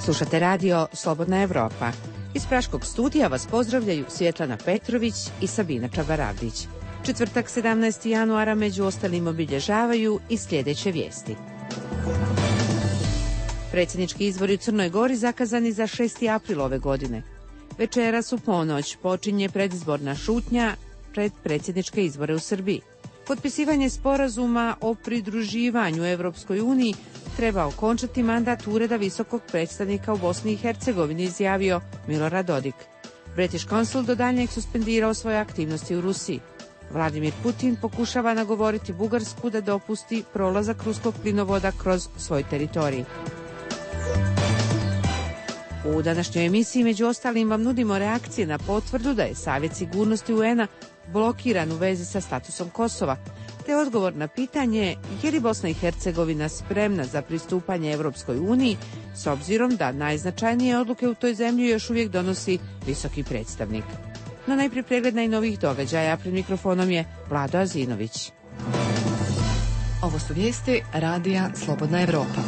Slušate radio Slobodna Evropa. Iz Praškog studija vas pozdravljaju Svjetlana Petrović i Sabina Čabaravdić. Četvrtak 17. januara među ostalim obilježavaju i sljedeće vijesti. Predsjednički izbori u Crnoj Gori zakazani za 6. april ove godine. Večeras u ponoć počinje predizborna šutnja pred predsjedničke izbore u Srbiji. Potpisivanje sporazuma o pridruživanju Evropskoj uniji treba okončati mandat Ureda visokog predstavnika u Bosni i Hercegovini, izjavio Milorad Dodik. British Council do daljnjeg suspendirao svoje aktivnosti u Rusiji. Vladimir Putin pokušava nagovoriti Bugarsku da dopusti prolazak ruskog plinovoda kroz svoj teritorij. U današnjoj emisiji među ostalim vam nudimo reakcije na potvrdu da je Savjet sigurnosti UN-a blokiran u vezi sa statusom Kosova, te odgovor na pitanje je li Bosna i Hercegovina spremna za pristupanje Evropskoj uniji, s obzirom da najznačajnije odluke u toj zemlji još uvijek donosi visoki predstavnik. No najprije pregled najnovijih događaja, pred mikrofonom je Vlado Azinović. Ovo su vijesti radija Slobodna Evropa.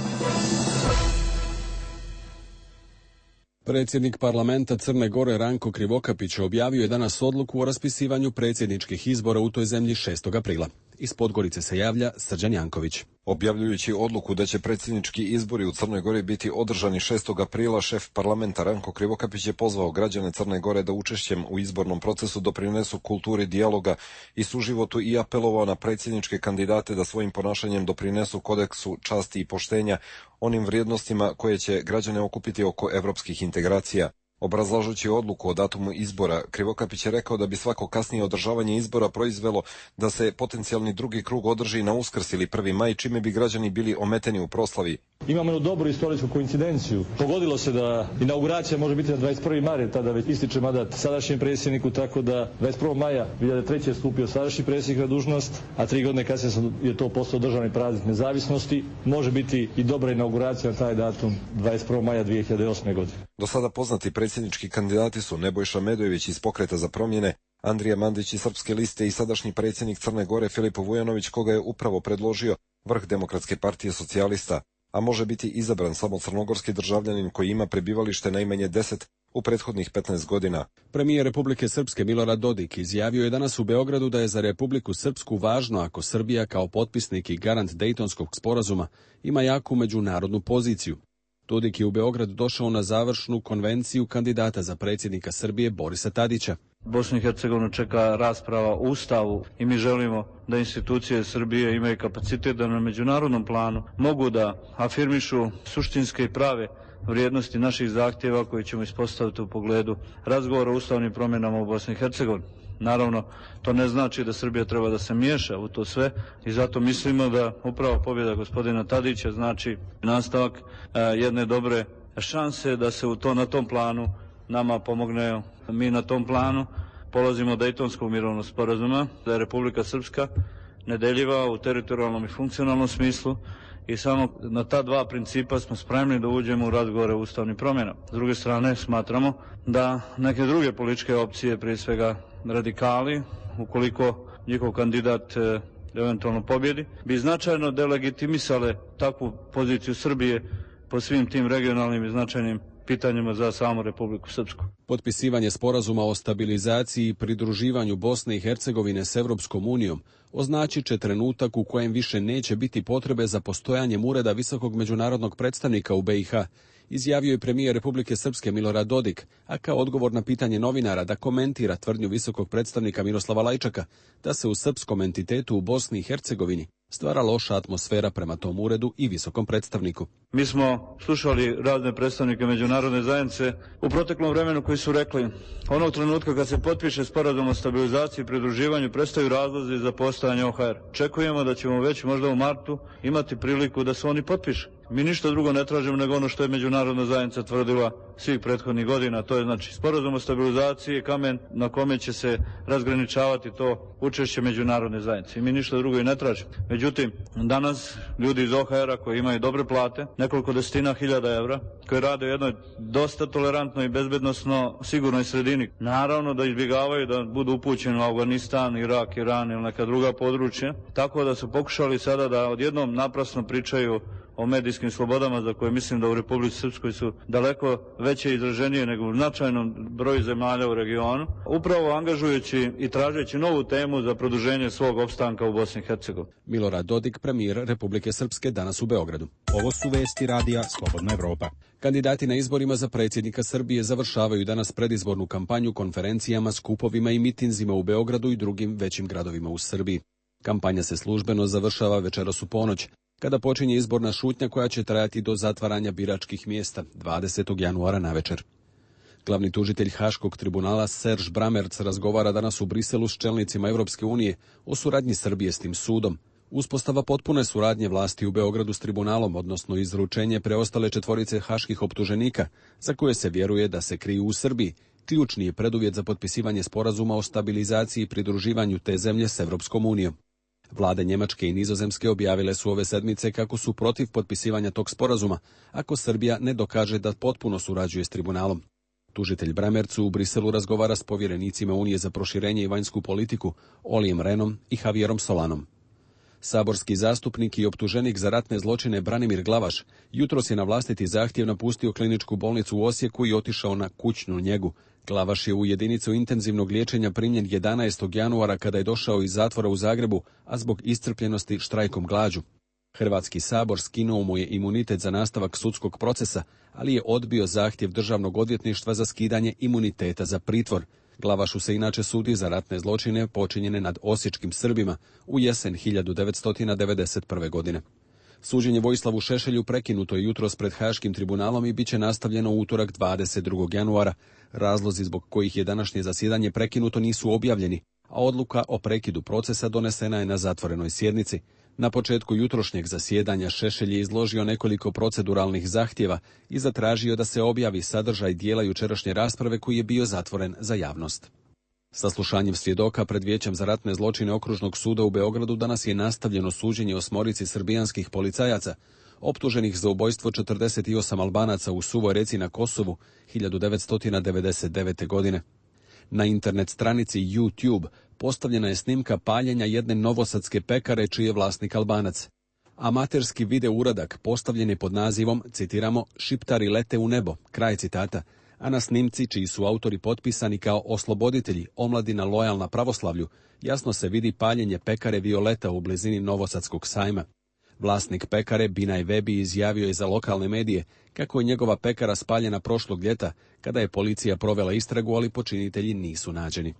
Predsjednik parlamenta Crne Gore Ranko Krivokapić objavio je danas odluku o raspisivanju predsjedničkih izbora u toj zemlji 6. aprila. Iz Podgorice se javlja Srđan Janković. Objavljujući odluku da će predsjednički izbori u Crnoj Gori biti održani 6. aprila, šef parlamenta Ranko Krivokapić je pozvao građane Crne Gore da učešćem u izbornom procesu doprinesu kulturi dijaloga i suživotu i apelovao na predsjedničke kandidate da svojim ponašanjem doprinesu kodeksu časti i poštenja, onim vrijednostima koje će građane okupiti oko evropskih integracija. Obrazlažući odluku o datumu izbora, Krivokapić je rekao da bi svako kasnije održavanje izbora proizvelo da se potencijalni drugi krug održi na Uskrs ili 1. maj, čime bi građani bili ometeni u proslavi. Imamo jednu dobru istorijsku koincidenciju. Pogodilo se da inauguracija može biti na 21. maj, tada već ističe mandat sadašnjem predsjedniku, tako da 21. maja 2003. je stupio sadašnji predsjednik na dužnost, a 3 godine kasnije je to postao državni praznik nezavisnosti. Može biti i dobra inauguracija na taj datum 21. maja 2008. godine. Do sada poznati predsjednički kandidati su Nebojša Medojević iz Pokreta za promjene, Andrija Mandić iz Srpske liste i sadašnji predsjednik Crne Gore Filip Vujanović, koga je upravo predložio vrh Demokratske partije socijalista, a može biti izabran samo crnogorski državljanin koji ima prebivalište najmanje 10 u prethodnih 15 godina. Premijer Republike Srpske Milorad Dodik izjavio je danas u Beogradu da je za Republiku Srpsku važno ako Srbija kao potpisnik i garant Dejtonskog sporazuma ima jaku međunarodnu poziciju. Dodik je u Beograd došao na završnu konvenciju kandidata za predsjednika Srbije Borisa Tadića. Bosnu i Hercegovinu čeka rasprava o Ustavu i mi želimo da institucije Srbije imaju kapacitet da na međunarodnom planu mogu da afirmišu suštinske i prave vrijednosti naših zahtjeva koje ćemo ispostaviti u pogledu razgovora o ustavnim promjenama u Bosni i Hercegovini. Naravno, to ne znači da Srbija treba da se miješa u to sve i zato mislimo da upravo pobjeda gospodina Tadića znači nastavak jedne dobre šanse da se na tom planu nama pomogne. Mi na tom planu polazimo od Dejtonskog mirovnog sporazuma, da je Republika Srpska nedeljiva u teritorijalnom i funkcionalnom smislu i samo na ta dva principa smo spremni da uđemo u razgovore o ustavnim promjenama. S druge strane, smatramo da neke druge političke opcije, prije svega radikali, ukoliko njihov kandidat eventualno pobjedi, bi značajno delegitimisale takvu poziciju Srbije po svim tim regionalnim i značajnim pitanjima za samu Republiku Srpsku. Potpisivanje sporazuma o stabilizaciji i pridruživanju Bosne i Hercegovine s Evropskom unijom označit će trenutak u kojem više neće biti potrebe za postojanjem Ureda visokog međunarodnog predstavnika u BiH, izjavio je premijer Republike Srpske Milorad Dodik, a kao odgovor na pitanje novinara da komentira tvrdnju visokog predstavnika Miroslava Lajčaka da se u srpskom entitetu u Bosni i Hercegovini stvara loša atmosfera prema tom uredu i visokom predstavniku. Mi smo slušali razne predstavnike međunarodne zajednice u proteklom vremenu koji su rekli onog trenutka kad se potpiše sporazum o stabilizaciji i pridruživanju prestaju razlozi za postojanje OHR. Čekujemo da ćemo već možda u martu imati priliku da se oni potpiše. Mi ništa drugo ne tražimo nego ono što je međunarodna zajednica tvrdila svih prethodnih godina, to je znači sporazum o stabilizaciji je kamen na kome će se razgraničavati to učešće međunarodne zajednice. I mi ništa drugo i ne tražimo. Međutim, danas ljudi iz OHR-a koji imaju dobre plate, nekoliko desetina hiljada evra, koji rade u jednoj dosta tolerantnoj i bezbednosno sigurnoj sredini, naravno da izbjegavaju da budu upućeni u Afganistan, Irak, Iran ili neka druga područja, tako da su pokušali sada da odjednom naprasno pričaju o medijskim slobodama za koje mislim da u Republici Srpskoj su daleko veće i izraženije nego u značajnom broju zemalja u regionu, upravo angažujući i tražeći novu temu za produženje svog opstanka u Bosni i Hercegovini. Milorad Dodik, premijer Republike Srpske, danas u Beogradu. Ovo su vesti radija Slobodna Evropa. Kandidati na izborima za predsjednika Srbije završavaju danas predizbornu kampanju konferencijama, skupovima i mitinzima u Beogradu i drugim većim gradovima u Srbiji. Kampanja se službeno završava večeras u ponoć, kada počinje izborna šutnja koja će trajati do zatvaranja biračkih mjesta 20. januara navečer. Glavni tužitelj Haškog tribunala Serž Bramerc razgovara danas u Briselu s čelnicima Europske unije o suradnji Srbije s tim sudom. Uspostava potpune suradnje vlasti u Beogradu s tribunalom, odnosno izručenje preostale 4 haških optuženika, za koje se vjeruje da se kriju u Srbiji, ključni je preduvjet za potpisivanje sporazuma o stabilizaciji i pridruživanju te zemlje s Europskom unijom. Vlade Njemačke i Nizozemske objavile su ove sedmice kako su protiv potpisivanja tog sporazuma, ako Srbija ne dokaže da potpuno surađuje s tribunalom. Tužitelj Bramercu u Briselu razgovara s povjerenicima Unije za proširenje i vanjsku politiku, Olijem Renom i Javierom Solanom. Saborski zastupnik i optuženik za ratne zločine Branimir Glavaš jutros je na vlastiti zahtjev napustio kliničku bolnicu u Osijeku i otišao na kućnu njegu. Glavaš je u jedinicu intenzivnog liječenja primljen 11. januara kada je došao iz zatvora u Zagrebu, a zbog iscrpljenosti štrajkom glađu. Hrvatski sabor skinuo mu je imunitet za nastavak sudskog procesa, ali je odbio zahtjev Državnog odvjetništva za skidanje imuniteta za pritvor. Glavašu se inače sudi za ratne zločine počinjene nad osječkim Srbima u jesen 1991. godine. Suđenje Vojislavu Šešelju prekinuto je jutros pred Haškim tribunalom i bit će nastavljeno u utorak 22. januara. Razlozi zbog kojih je današnje zasjedanje prekinuto nisu objavljeni, a odluka o prekidu procesa donesena je na zatvorenoj sjednici. Na početku jutrošnjeg zasjedanja Šešelj je izložio nekoliko proceduralnih zahtjeva i zatražio da se objavi sadržaj dijela jučerašnje rasprave koji je bio zatvoren za javnost. Saslušanjem svjedoka pred Vijećem za ratne zločine Okružnog suda u Beogradu danas je nastavljeno suđenje 8 srbijanskih policajaca, optuženih za ubojstvo 48 Albanaca u Suvoj Reci na Kosovu 1999. godine. Na internet stranici YouTube postavljena je snimka paljenja jedne novosadske pekare čiji je vlasnik Albanac. Amaterski video uradak postavljen je pod nazivom, citiramo, "Šiptari lete u nebo", kraj citata, a na snimci, čiji su autori potpisani kao osloboditelji, omladina lojalna pravoslavlju, jasno se vidi paljenje pekare Violeta u blizini Novosadskog sajma. Vlasnik pekare Binaj Vebi izjavio je za lokalne medije kako je njegova pekara spaljena prošlog ljeta, kada je policija provela istragu, ali počinitelji nisu nađeni.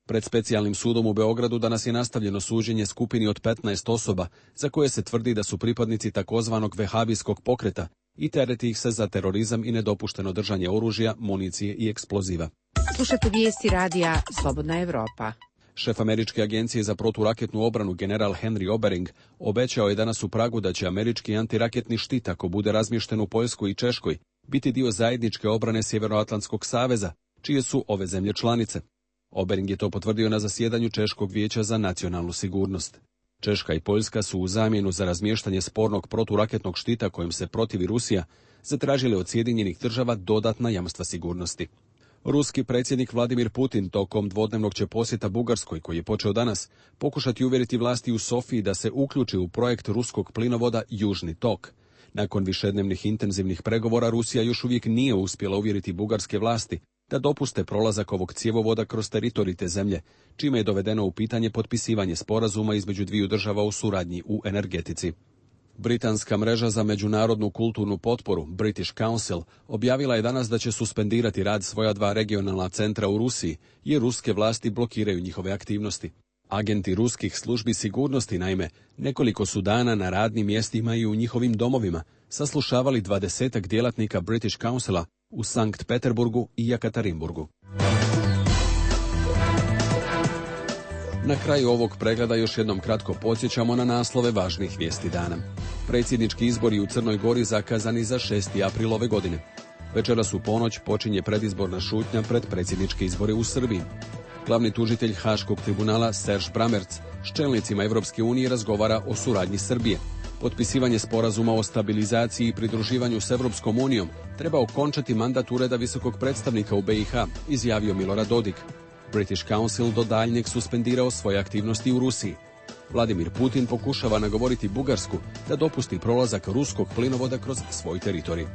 Pred specijalnim sudom u Beogradu danas je nastavljeno suđenje skupini od 15 osoba, za koje se tvrdi da su pripadnici takozvanog vehabijskog pokreta i tereti ih se za terorizam i nedopušteno držanje oružja, municije i eksploziva. Slušate vijesti radija Slobodna Evropa. Šef Američke agencije za proturaketnu obranu general Henry Obering obećao je danas u Pragu da će američki antiraketni štit, ako bude razmješten u Poljskoj i Češkoj, biti dio zajedničke obrane Sjevernoatlantskog saveza, čije su ove zemlje članice. Obering je to potvrdio na zasjedanju Češkog vijeća za nacionalnu sigurnost. Češka i Poljska su u zamjenu za razmještanje spornog proturaketnog štita kojim se protivi Rusija zatražili od Sjedinjenih država dodatna jamstva sigurnosti. Ruski predsjednik Vladimir Putin tokom dvodnevnog će posjeta Bugarskoj, koji je počeo danas, pokušati uvjeriti vlasti u Sofiji da se uključi u projekt ruskog plinovoda Južni tok. Nakon višednevnih intenzivnih pregovora Rusija još uvijek nije uspjela uvjeriti bugarske vlasti da dopuste prolazak ovog cjevovoda kroz teritorij te zemlje, čime je dovedeno u pitanje potpisivanje sporazuma između dviju država u suradnji u energetici. Britanska mreža za međunarodnu kulturnu potporu, British Council, objavila je danas da će suspendirati rad svoja 2 regionalna centra u Rusiji, jer ruske vlasti blokiraju njihove aktivnosti. Agenti ruskih službi sigurnosti, naime, nekoliko su dana na radnim mjestima i u njihovim domovima saslušavali 20 djelatnika British Councila u Sankt Peterburgu i Jekaterinburgu. Na kraju ovog pregleda još jednom kratko podsjećamo na naslove važnih vijesti dana. Predsjednički izbori u Crnoj Gori zakazani za 6. april ove godine. Večeras u ponoć počinje predizborna šutnja pred predsjedničke izbore u Srbiji. Glavni tužitelj Haškog tribunala Serž Bramerc s čelnicima Europske unije razgovara o suradnji Srbije. Potpisivanje sporazuma o stabilizaciji i pridruživanju s Europskom unijom treba okončati mandat Ureda visokog predstavnika u BiH, izjavio Milorad Dodik. British Council do daljnjeg suspendirao svoje aktivnosti u Rusiji. Vladimir Putin pokušava nagovoriti Bugarsku da dopusti prolazak ruskog plinovoda kroz svoj teritorij.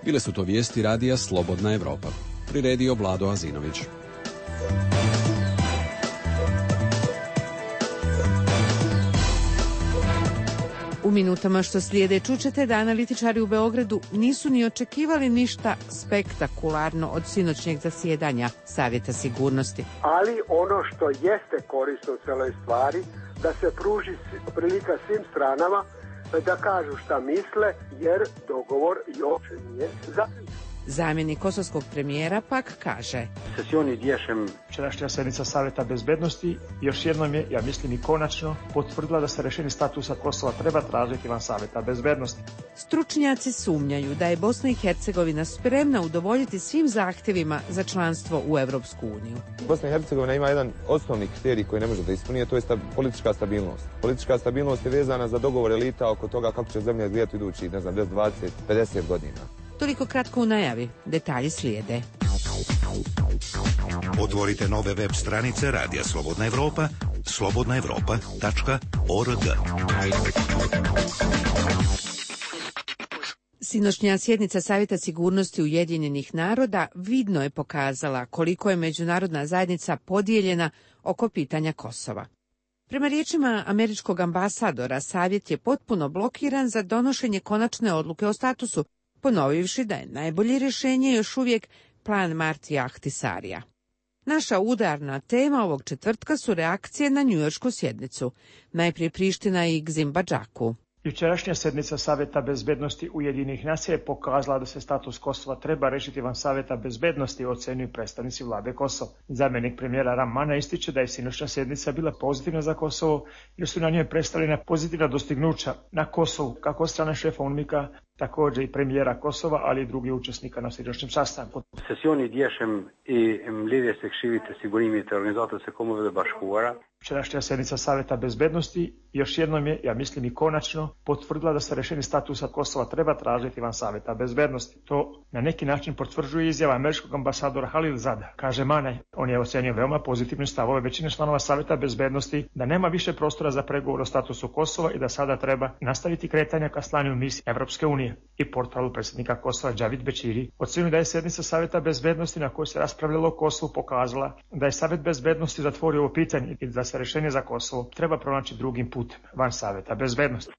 Bile su to vijesti radija Slobodna Evropa. Priredio Vlado Azinović. U minutama što slijede čućete da analitičari u Beogradu nisu ni očekivali ništa spektakularno od sinoćnjeg zasjedanja Savjeta sigurnosti. Ali ono što jeste korisno u celoj stvari, da se pruži prilika svim stranama da kažu šta misle, jer dogovor još nije zaključen. Zamjenik kosovskog premijera pak kaže: Včerašnja sednica Savjeta bezbednosti još jednom je, ja mislim i konačno, potvrdila da se rešenje statusa Kosova treba tražiti van Savjeta bezbednosti. Stručnjaci sumnjaju da je Bosna i Hercegovina spremna udovoljiti svim zahtjevima za članstvo u Evropsku uniju. Bosna i Hercegovina ima jedan osnovni kriterij koji ne može da ispuni, a to je politička stabilnost. Politička stabilnost je vezana za dogovor elita oko toga kako će zemlja izgledati idući, 10, 20, 50 godina. Toliko kratko u najavi. Detalji slijede. Otvorite nove web stranice Radija Slobodna Evropa, slobodnaevropa.org. Sinoćnja sjednica Savjeta sigurnosti Ujedinjenih naroda vidno je pokazala koliko je međunarodna zajednica podijeljena oko pitanja Kosova. Prema riječima američkog ambasadora, Savjet je potpuno blokiran za donošenje konačne odluke o statusu, ponovivši da je najbolje rješenje još uvijek plan Martija Ahtisarija. Naša udarna tema ovog četvrtka su reakcije na njujoršku sjednicu, najprije Priština i Gzimbadžaku. Jučerašnja sednica Savjeta bezbednosti Ujedinjenih nacija je pokazala da se status Kosova treba rešiti van Savjeta bezbednosti, ocenjuju predstavnici vlade Kosova. Zamjenik premijera Ramana ističe da je sinoćna sednica bila pozitivna za Kosovo, jer su na njoj predstavljena pozitivna dostignuća na Kosovu, kako od strane šefa UNMIK-a, također i premijera Kosova, ali i drugih učesnika na sinoćnom sastanku. Sesioni djeshëm i mbledhjes së Këshillit të Sigurimit të Organizatës së Kombeve të Bashkuara. Včerašnja sednica Savjeta bezbednosti još jednom je, ja mislim i konačno, potvrdila da se rešenje statusa Kosova treba tražiti van Savjeta bezbednosti. To na neki način potvrđuje izjava američkog ambasadora Halil Zada. Kaže Manaj, on je ocenio veoma pozitivne stavove većine članova Savjeta bezbednosti da nema više prostora za pregovor o statusu Kosova i da sada treba nastaviti kretanja ka slanju misije Evropske unije. I portalu predsjednika Kosova Džavid Bećiri ocenio da je sednica Savjeta bezbednosti na kojoj se raspravljalo o Kosovu pokazala da je Savjet bezbednosti zatvorio ovo pitanje i da se rešenje za Kosovo treba pronaći drugim putem, van Savjeta bezbednosti.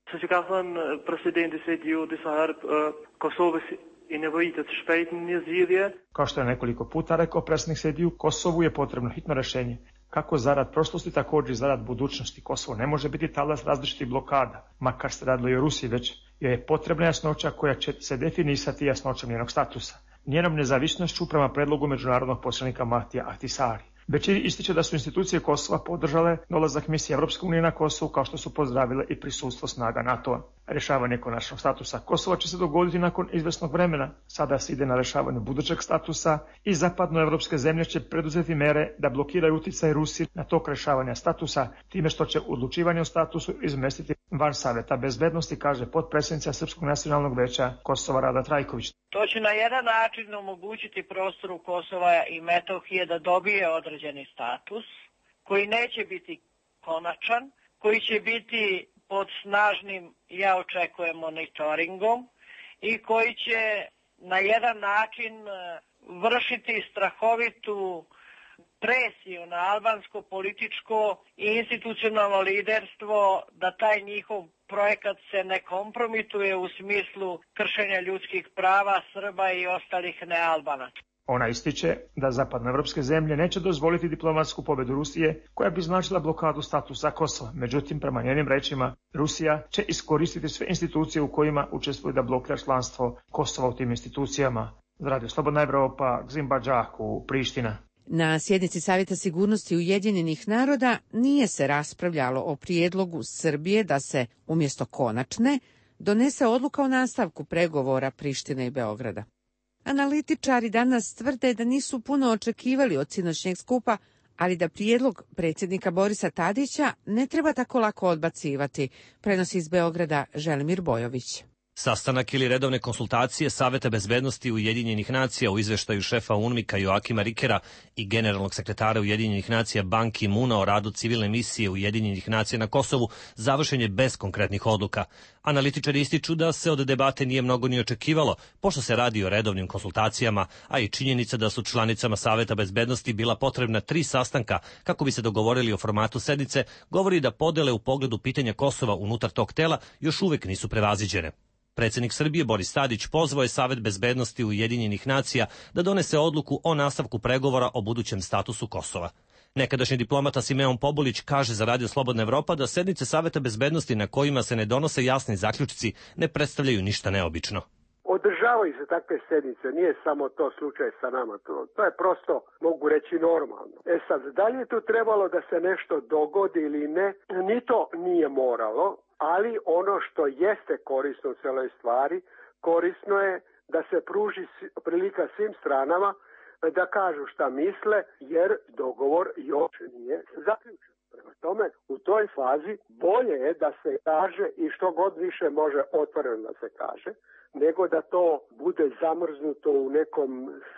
Kao što je nekoliko puta rekao predsjednik Sediju, Kosovu je potrebno hitno rešenje. Kako zarad prošlosti, također i zarad budućnosti. Kosovo ne može biti talas različitih blokada, makar se radilo i o Rusiji, već je potrebna jasnoća koja će se definisati jasnoćom njenog statusa, njenom nezavisnošću prema predlogu međunarodnog poslanika Martija Ahtisari. Bećiri ističe da su institucije Kosova podržale dolazak misije Evropske unije na Kosovu, kao što su pozdravile i prisustvo snaga NATO-a. Rješavanje konačnog statusa Kosova će se dogoditi nakon izvesnog vremena. Sada se ide na rješavanje budućeg statusa i zapadnoevropske zemlje će preduzeti mere da blokiraju utjecaj Rusije na tok rješavanja statusa, time što će odlučivanje o statusu izmestiti van Savjeta bezbednosti, kaže potpredsjednica Srpskog nacionalnog veća Kosova Rada Trajković. To će na jedan način omogućiti prostoru Kosova i Metohije da dobije određeni status, koji neće biti konačan, koji će biti pod snažnim, ja očekujem, monitoringom i koji će na jedan način vršiti strahovitu presiju na albansko političko i institucionalno liderstvo da taj njihov projekat se ne kompromituje u smislu kršenja ljudskih prava Srba i ostalih nealbanaca. Ona ističe da zapadnoevropske zemlje neće dozvoliti diplomatsku pobjedu Rusije koja bi značila blokadu statusa Kosova. Međutim, prema njenim rečima, Rusija će iskoristiti sve institucije u kojima učestvuju da blokira članstvo Kosova u tim institucijama. Za Radio Slobodna Evropa, Gzimbadžaku, Priština. Na sjednici Savjeta sigurnosti Ujedinjenih naroda nije se raspravljalo o prijedlogu Srbije da se, umjesto konačne, donese odluka o nastavku pregovora Prištine i Beograda. Analitičari danas tvrde da nisu puno očekivali od sinoćnjeg skupa, ali da prijedlog predsjednika Borisa Tadića ne treba tako lako odbacivati, prenosi iz Beograda Želimir Bojović. Sastanak ili redovne konsultacije Saveta bezbednosti Ujedinjenih nacija u izveštaju šefa UNMIK-a Joakima Rikera i generalnog sekretara Ujedinjenih nacija Ban Ki-muna o radu civilne misije Ujedinjenih nacija na Kosovu završen je bez konkretnih odluka. Analitičari ističu da se od debate nije mnogo ni očekivalo, pošto se radi o redovnim konsultacijama, a i činjenica da su članicama Saveta bezbednosti bila potrebna 3 sastanka kako bi se dogovorili o formatu sednice, govori da podele u pogledu pitanja Kosova unutar tog tela još uvek nisu prevaziđene. Predsjednik Srbije Boris Tadić pozvao je Savet bezbednosti Ujedinjenih nacija da donese odluku o nastavku pregovora o budućem statusu Kosova. Nekadašnji diplomata Simeon Pobulić kaže za Radio Slobodna Evropa da sednice Saveta bezbednosti na kojima se ne donose jasni zaključci ne predstavljaju ništa neobično. Održavaju se takve sednice, nije samo to slučaj sa nama, to je prosto, mogu reći, normalno. Sad, da li je tu trebalo da se nešto dogodi ili ne, ni to nije moralo, ali ono što jeste korisno u celoj stvari, korisno je da se pruži prilika svim stranama da kažu šta misle, jer dogovor još nije zaključen. Prema tome, u toj fazi bolje je da se kaže i što god više može otvoreno da se kaže, nego da to bude zamrznuto u nekom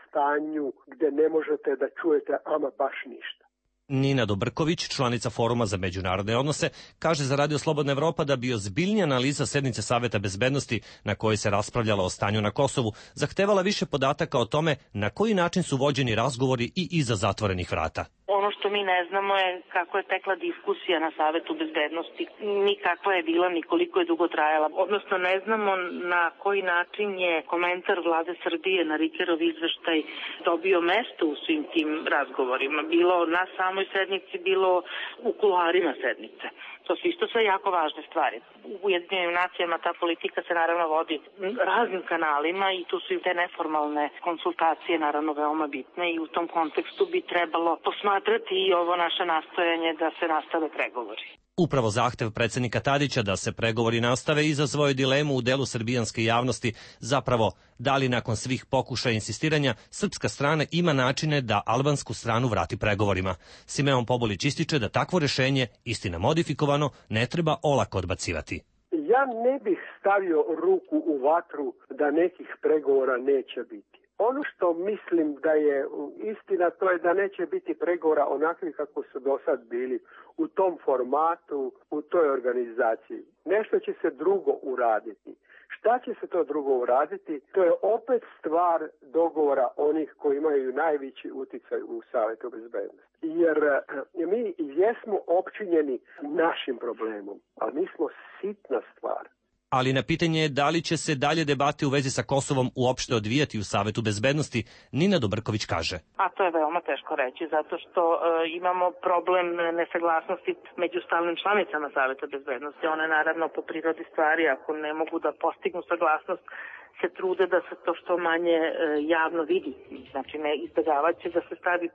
stanju gde ne možete da čujete ama baš ništa. Nina Dobrković, članica Foruma za međunarodne odnose, kaže za Radio Slobodna Evropa da bi ozbiljnija analiza sednice Saveta bezbednosti na kojoj se raspravljalo o stanju na Kosovu zahtevala više podataka o tome na koji način su vođeni razgovori i iza zatvorenih vrata. Ono što mi ne znamo je kako je tekla diskusija na Savetu bezbednosti, ni kakva je bila, ni koliko je dugo trajala. Odnosno ne znamo na koji način je komentar vlade Srbije na Rikerov izveštaj dobio mesto u svim tim razgovorima. Bilo na samoj sednici, bilo u kuloarima sednice. To su isto sve jako važne stvari. U Ujedinjenim nacijama ta politika se naravno vodi raznim kanalima i tu su i te neformalne konsultacije naravno veoma bitne i u tom kontekstu bi trebalo posmatrati i ovo naše nastojanje da se nastave pregovori. Upravo zahtev predsjednika Tadića da se pregovori nastave izazvao je dilemu u delu srbijanske javnosti, zapravo da li nakon svih pokušaja insistiranja srpska strana ima načine da albansku stranu vrati pregovorima. Simeon Pobulić ističe da takvo rješenje, istina modifikovano, ne treba olako odbacivati. Ja ne bih stavio ruku u vatru da nekih pregovora neće biti. Ono što mislim da je istina, to je da neće biti pregovora onakvi kako su do sad bili u tom formatu, u toj organizaciji. Nešto će se drugo uraditi. Šta će se to drugo uraditi? To je opet stvar dogovora onih koji imaju najveći uticaj u Savetu bezbednosti. Jer mi jesmo opčinjeni našim problemom, ali mi smo sitna stvar. Ali na pitanje je da li će se dalje debate u vezi sa Kosovom uopšte odvijati u Savetu bezbednosti, Nina Dobrković kaže. A to je veoma teško reći, zato što imamo problem nesaglasnosti među stalnim članicama Saveta bezbednosti. One naravno po prirodi stvari, ako ne mogu da postignu saglasnost, se trude da se to što manje javno vidi. Znači ne izbjegavaće će da se stavi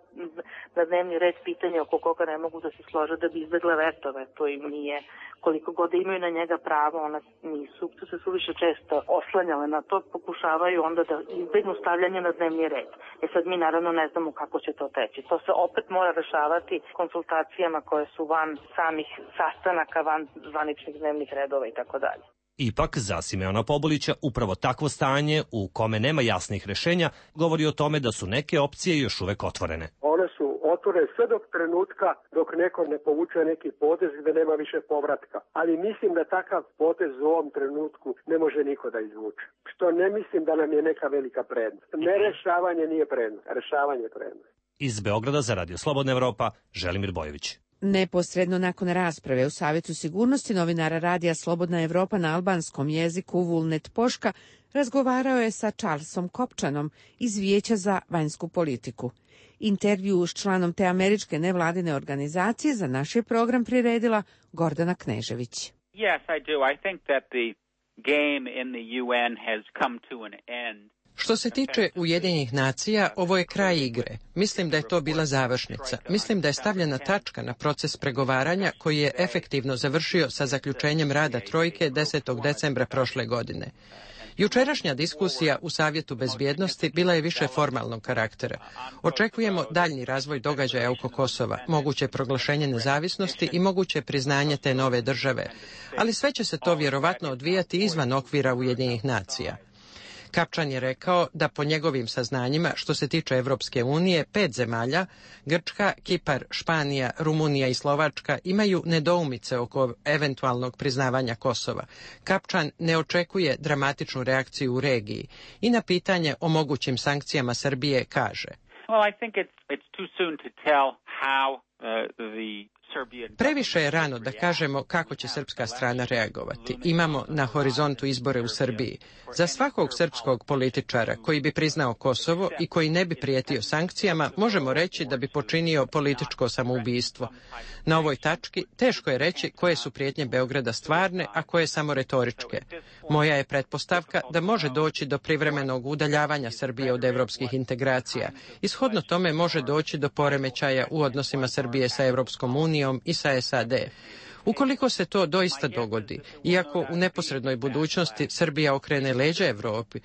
na dnevni red pitanje oko koga ne mogu da se slože da bi izbjegle vetove. To im nije, koliko god imaju na njega pravo, ona nisu se suviše često oslanjale na to, pokušavaju onda da izbjegnu stavljanje na dnevni red. Sad mi naravno ne znamo kako će to teći. To se opet mora rešavati konsultacijama koje su van samih sastanaka, van zvaničnih dnevnih redova i tako dalje. Ipak, za Simeona Pobulića, upravo takvo stanje u kome nema jasnih rešenja govori o tome da su neke opcije još uvek otvorene. One su otvorene sve dok trenutka dok neko ne povuče neki potez gde nema više povratka. Ali mislim da takav potez u ovom trenutku ne može niko da izvuče. Što ne mislim da nam je neka velika prednost. Ne rešavanje nije prednost, rešavanje je prednost. Iz Beograda za Radio Slobodna Evropa, Želimir Bojović. Neposredno nakon rasprave u Savjetu sigurnosti novinara Radija Slobodna Evropa na albanskom jeziku Vulnet Poška razgovarao je sa Charlesom Kopčanom iz Vijeća za vanjsku politiku. Intervju s članom te američke nevladine organizacije za naš je program priredila Gordana Knežević. Yes, I do. I think that the game in the UN has come to an end. Što se tiče Ujedinjenih nacija, ovo je kraj igre. Mislim da je to bila završnica. Mislim da je stavljena tačka na proces pregovaranja koji je efektivno završio sa zaključenjem rada Trojke 10. decembra prošle godine. Jučerašnja diskusija u Savjetu bezbjednosti bila je više formalnog karaktera. Očekujemo daljnji razvoj događaja oko Kosova, moguće proglašenje nezavisnosti i moguće priznanje te nove države, ali sve će se to vjerovatno odvijati izvan okvira Ujedinjenih nacija. Kapčan je rekao da po njegovim saznanjima, što se tiče Evropske unije, 5 zemalja, Grčka, Kipar, Španija, Rumunija i Slovačka, imaju nedoumice oko eventualnog priznavanja Kosova. Kapčan ne očekuje dramatičnu reakciju u regiji i na pitanje o mogućim sankcijama Srbije kaže: Previše je rano da kažemo kako će srpska strana reagovati. Imamo na horizontu izbore u Srbiji. Za svakog srpskog političara koji bi priznao Kosovo i koji ne bi prijetio sankcijama, možemo reći da bi počinio političko samoubistvo. Na ovoj tački teško je reći koje su prijetnje Beograda stvarne, a koje samo retoričke. Moja je pretpostavka da može doći do privremenog udaljavanja Srbije od evropskih integracija. Ishodno tome može doći do poremećaja u odnosima Srbije sa Evropskom unijom i sa SAD. Ukoliko se to doista dogodi, iako u neposrednoj budućnosti Srbija okrene leđa Evropi,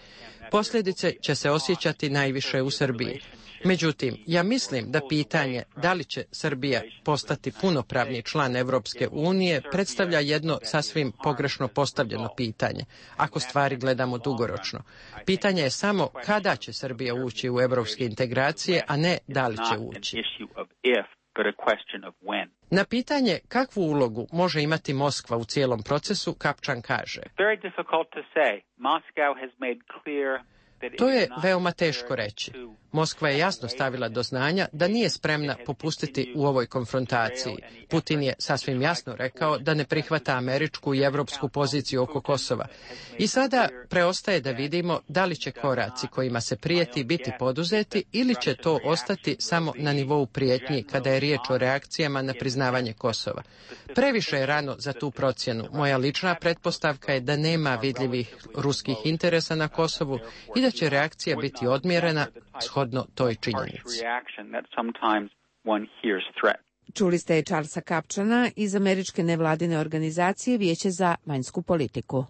posljedice će se osjećati najviše u Srbiji. Međutim, ja mislim da pitanje da li će Srbija postati punopravni član Evropske unije predstavlja jedno sasvim pogrešno postavljeno pitanje, ako stvari gledamo dugoročno. Pitanje je samo kada će Srbija ući u evropske integracije, a ne da li će ući. Na pitanje kakvu ulogu može imati Moskva u cijelom procesu, Kapčan kaže: To je veoma teško reći. Moskva je jasno stavila do znanja da nije spremna popustiti u ovoj konfrontaciji. Putin je sasvim jasno rekao da ne prihvata američku i evropsku poziciju oko Kosova. I sada preostaje da vidimo da li će koraci kojima se prijeti biti poduzeti ili će to ostati samo na nivou prijetnji kada je riječ o reakcijama na priznavanje Kosova. Previše je rano za tu procjenu. Moja lična pretpostavka je da nema vidljivih ruskih interesa na Kosovu i da će reakcija biti odmjerena shodno toj činjenici. Čuli ste Charlesa Kapčana iz američke nevladine organizacije Vijeće za vanjsku politiku.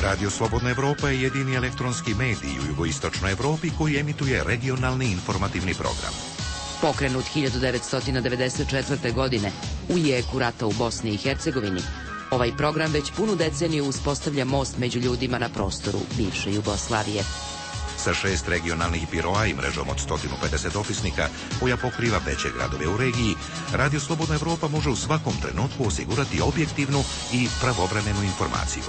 Radio Slobodna Evropa je jedini elektronski medij u jugoistočnoj Evropi koji emituje regionalni informativni program. Pokrenut 1994. godine u jeku rata u Bosni i Hercegovini, ovaj program već punu deceniju uspostavlja most među ljudima na prostoru bivše Jugoslavije. Sa 6 regionalnih biroa i mrežom od 150 dopisnika koja pokriva veće gradove u regiji, Radio Slobodna Evropa može u svakom trenutku osigurati objektivnu i pravovremenu informaciju.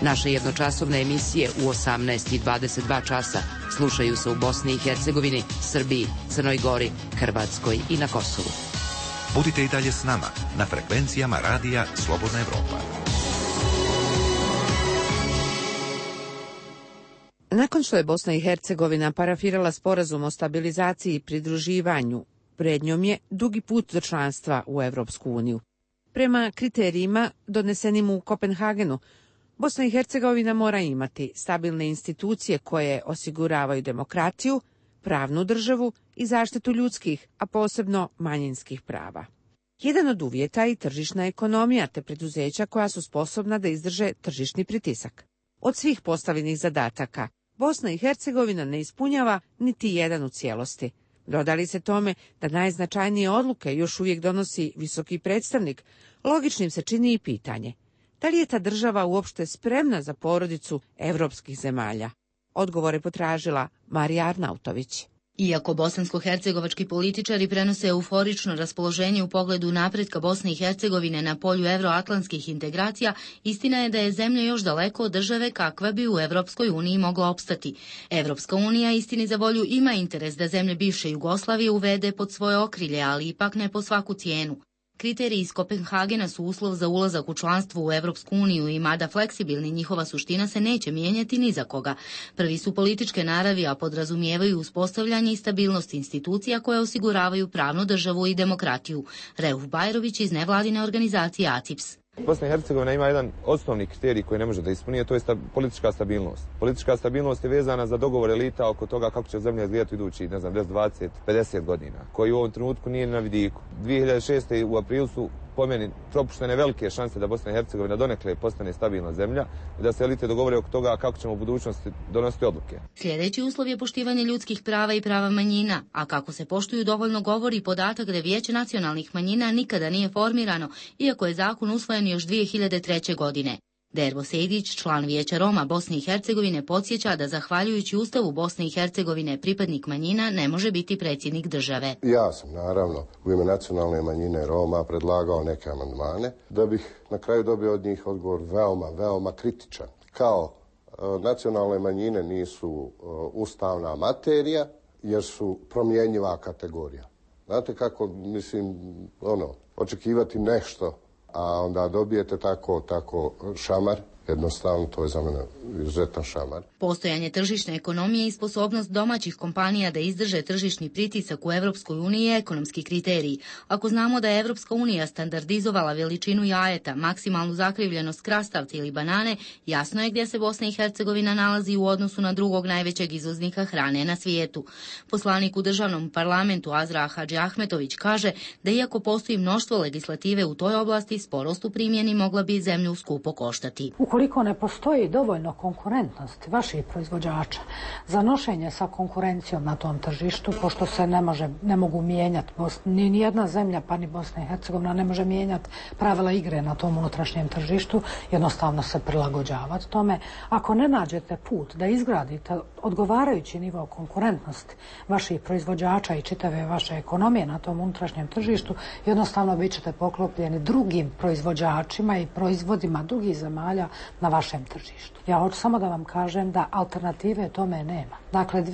Naše jednočasovne emisije u 18 i 22 časa slušaju se u Bosni i Hercegovini, Srbiji, Crnoj Gori, Hrvatskoj i na Kosovu. Budite i dalje s nama na frekvencijama Radija Slobodna Evropa. Nakon što je Bosna i Hercegovina parafirala sporazum o stabilizaciji i pridruživanju, pred njom je dugi put do članstva u Evropsku uniju. Prema kriterijima donesenim u Kopenhagenu, Bosna i Hercegovina mora imati stabilne institucije koje osiguravaju demokratiju, pravnu državu i zaštitu ljudskih, a posebno manjinskih prava. Jedan od uvjeta je i tržišna ekonomija te preduzeća koja su sposobna da izdrže tržišni pritisak. Od svih postavljenih zadataka, Bosna i Hercegovina ne ispunjava niti jedan u cijelosti. Dodali se tome da najznačajnije odluke još uvijek donosi visoki predstavnik, logičnim se čini i pitanje: da li je ta država uopšte spremna za porodicu evropskih zemalja? Odgovore potražila Marija Arnautović. Iako bosansko-hercegovački političari prenose euforično raspoloženje u pogledu napretka Bosne i Hercegovine na polju evroatlantskih integracija, istina je da je zemlja još daleko od države kakva bi u Evropskoj uniji mogla opstati. Evropska unija, istini za volju, ima interes da zemlje bivše Jugoslavije uvede pod svoje okrilje, ali ipak ne po svaku cijenu. Kriteriji iz Kopenhagena su uslov za ulazak u članstvo u Evropsku uniju i mada fleksibilni, njihova suština se neće mijenjati ni za koga. Prvi su političke naravi, a podrazumijevaju uspostavljanje i stabilnost institucija koje osiguravaju pravnu državu i demokratiju. Reuf Bajrović iz nevladine organizacije ACIPS. Bosna i Hercegovina ima jedan osnovni kriterij koji ne može da ispuni, to je politička stabilnost. Politička stabilnost je vezana za dogovor elita oko toga kako će zemlja izgledati idući, 10, 20, 50 godina, koji u ovom trenutku nije na vidiku. 2006. u aprilu su po meni propuštene velike šanse da Bosna i Hercegovina donekle postane stabilna zemlja i da se elite dogovore oko toga kako ćemo u budućnosti donositi odluke. Sljedeći uslov je poštivanje ljudskih prava i prava manjina, a kako se poštuju dovoljno govori podatak da Vijeće nacionalnih manjina nikada nije formirano, iako je zakon usvojen još 2003. godine. Dervo Sejdić, član Vijeća Roma Bosne i Hercegovine, podsjeća da zahvaljujući Ustavu Bosne i Hercegovine pripadnik manjina ne može biti predsjednik države. Ja sam naravno u ime nacionalne manjine Roma predlagao neke amandmane da bih na kraju dobio od njih odgovor veoma kritičan. Kao nacionalne manjine nisu ustavna materija jer su promjenjiva kategorija. Znate kako, mislim, očekivati nešto, a onda dobijete tako šamar, jednostavno to je za mene izuzetan šamar. Postojanje tržišne ekonomije i sposobnost domaćih kompanija da izdrže tržišni pritisak u Evropskoj uniji je ekonomski kriterij. Ako znamo da je Evropska unija standardizovala veličinu jajeta, maksimalnu zakrivljenost krastavca ili banane, jasno je gdje se Bosna i Hercegovina nalazi u odnosu na drugog najvećeg izvoznika hrane na svijetu. Poslanik u državnom parlamentu Azra Hadžiahmetović kaže da iako postoji mnoštvo legislative u toj oblasti, sporost u primjeni mogla bi zemlju skupo koštati. Ukoliko ne postoji dovoljno konkurentnosti vaših proizvođača za nošenje sa konkurencijom na tom tržištu, pošto se ne mogu mijenjati, ni jedna zemlja, pa ni Bosna i Hercegovina ne može mijenjati pravila igre na tom unutrašnjem tržištu, jednostavno se prilagođavati tome. Ako ne nađete put da izgradite odgovarajući nivo konkurentnosti vaših proizvođača i čitave vaše ekonomije na tom unutrašnjem tržištu, jednostavno bit ćete poklopljeni drugim proizvođačima i proizvodima drugih zemalja na vašem tržištu. Ja hoću samo da vam kažem da alternative tome nema. Dakle,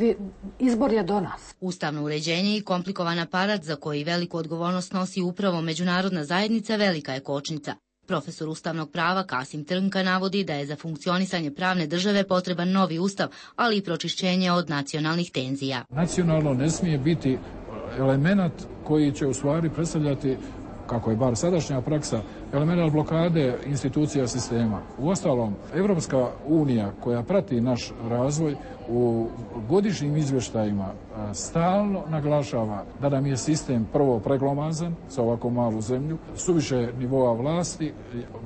izbor je do nas. Ustavno uređenje i komplikovan aparat za koji veliku odgovornost nosi upravo međunarodna zajednica velika je kočnica. Profesor ustavnog prava Kasim Trnka navodi da je za funkcionisanje pravne države potreban novi ustav, ali i pročišćenje od nacionalnih tenzija. Nacionalno ne smije biti element koji će u stvari predstavljati, kako je bar sadašnja praksa, element blokade institucija sistema. Uostalom, Evropska unija koja prati naš razvoj u godišnjim izvještajima stalno naglašava da nam je sistem prvo preglomazan za ovako malu zemlju, suviše nivoa vlasti,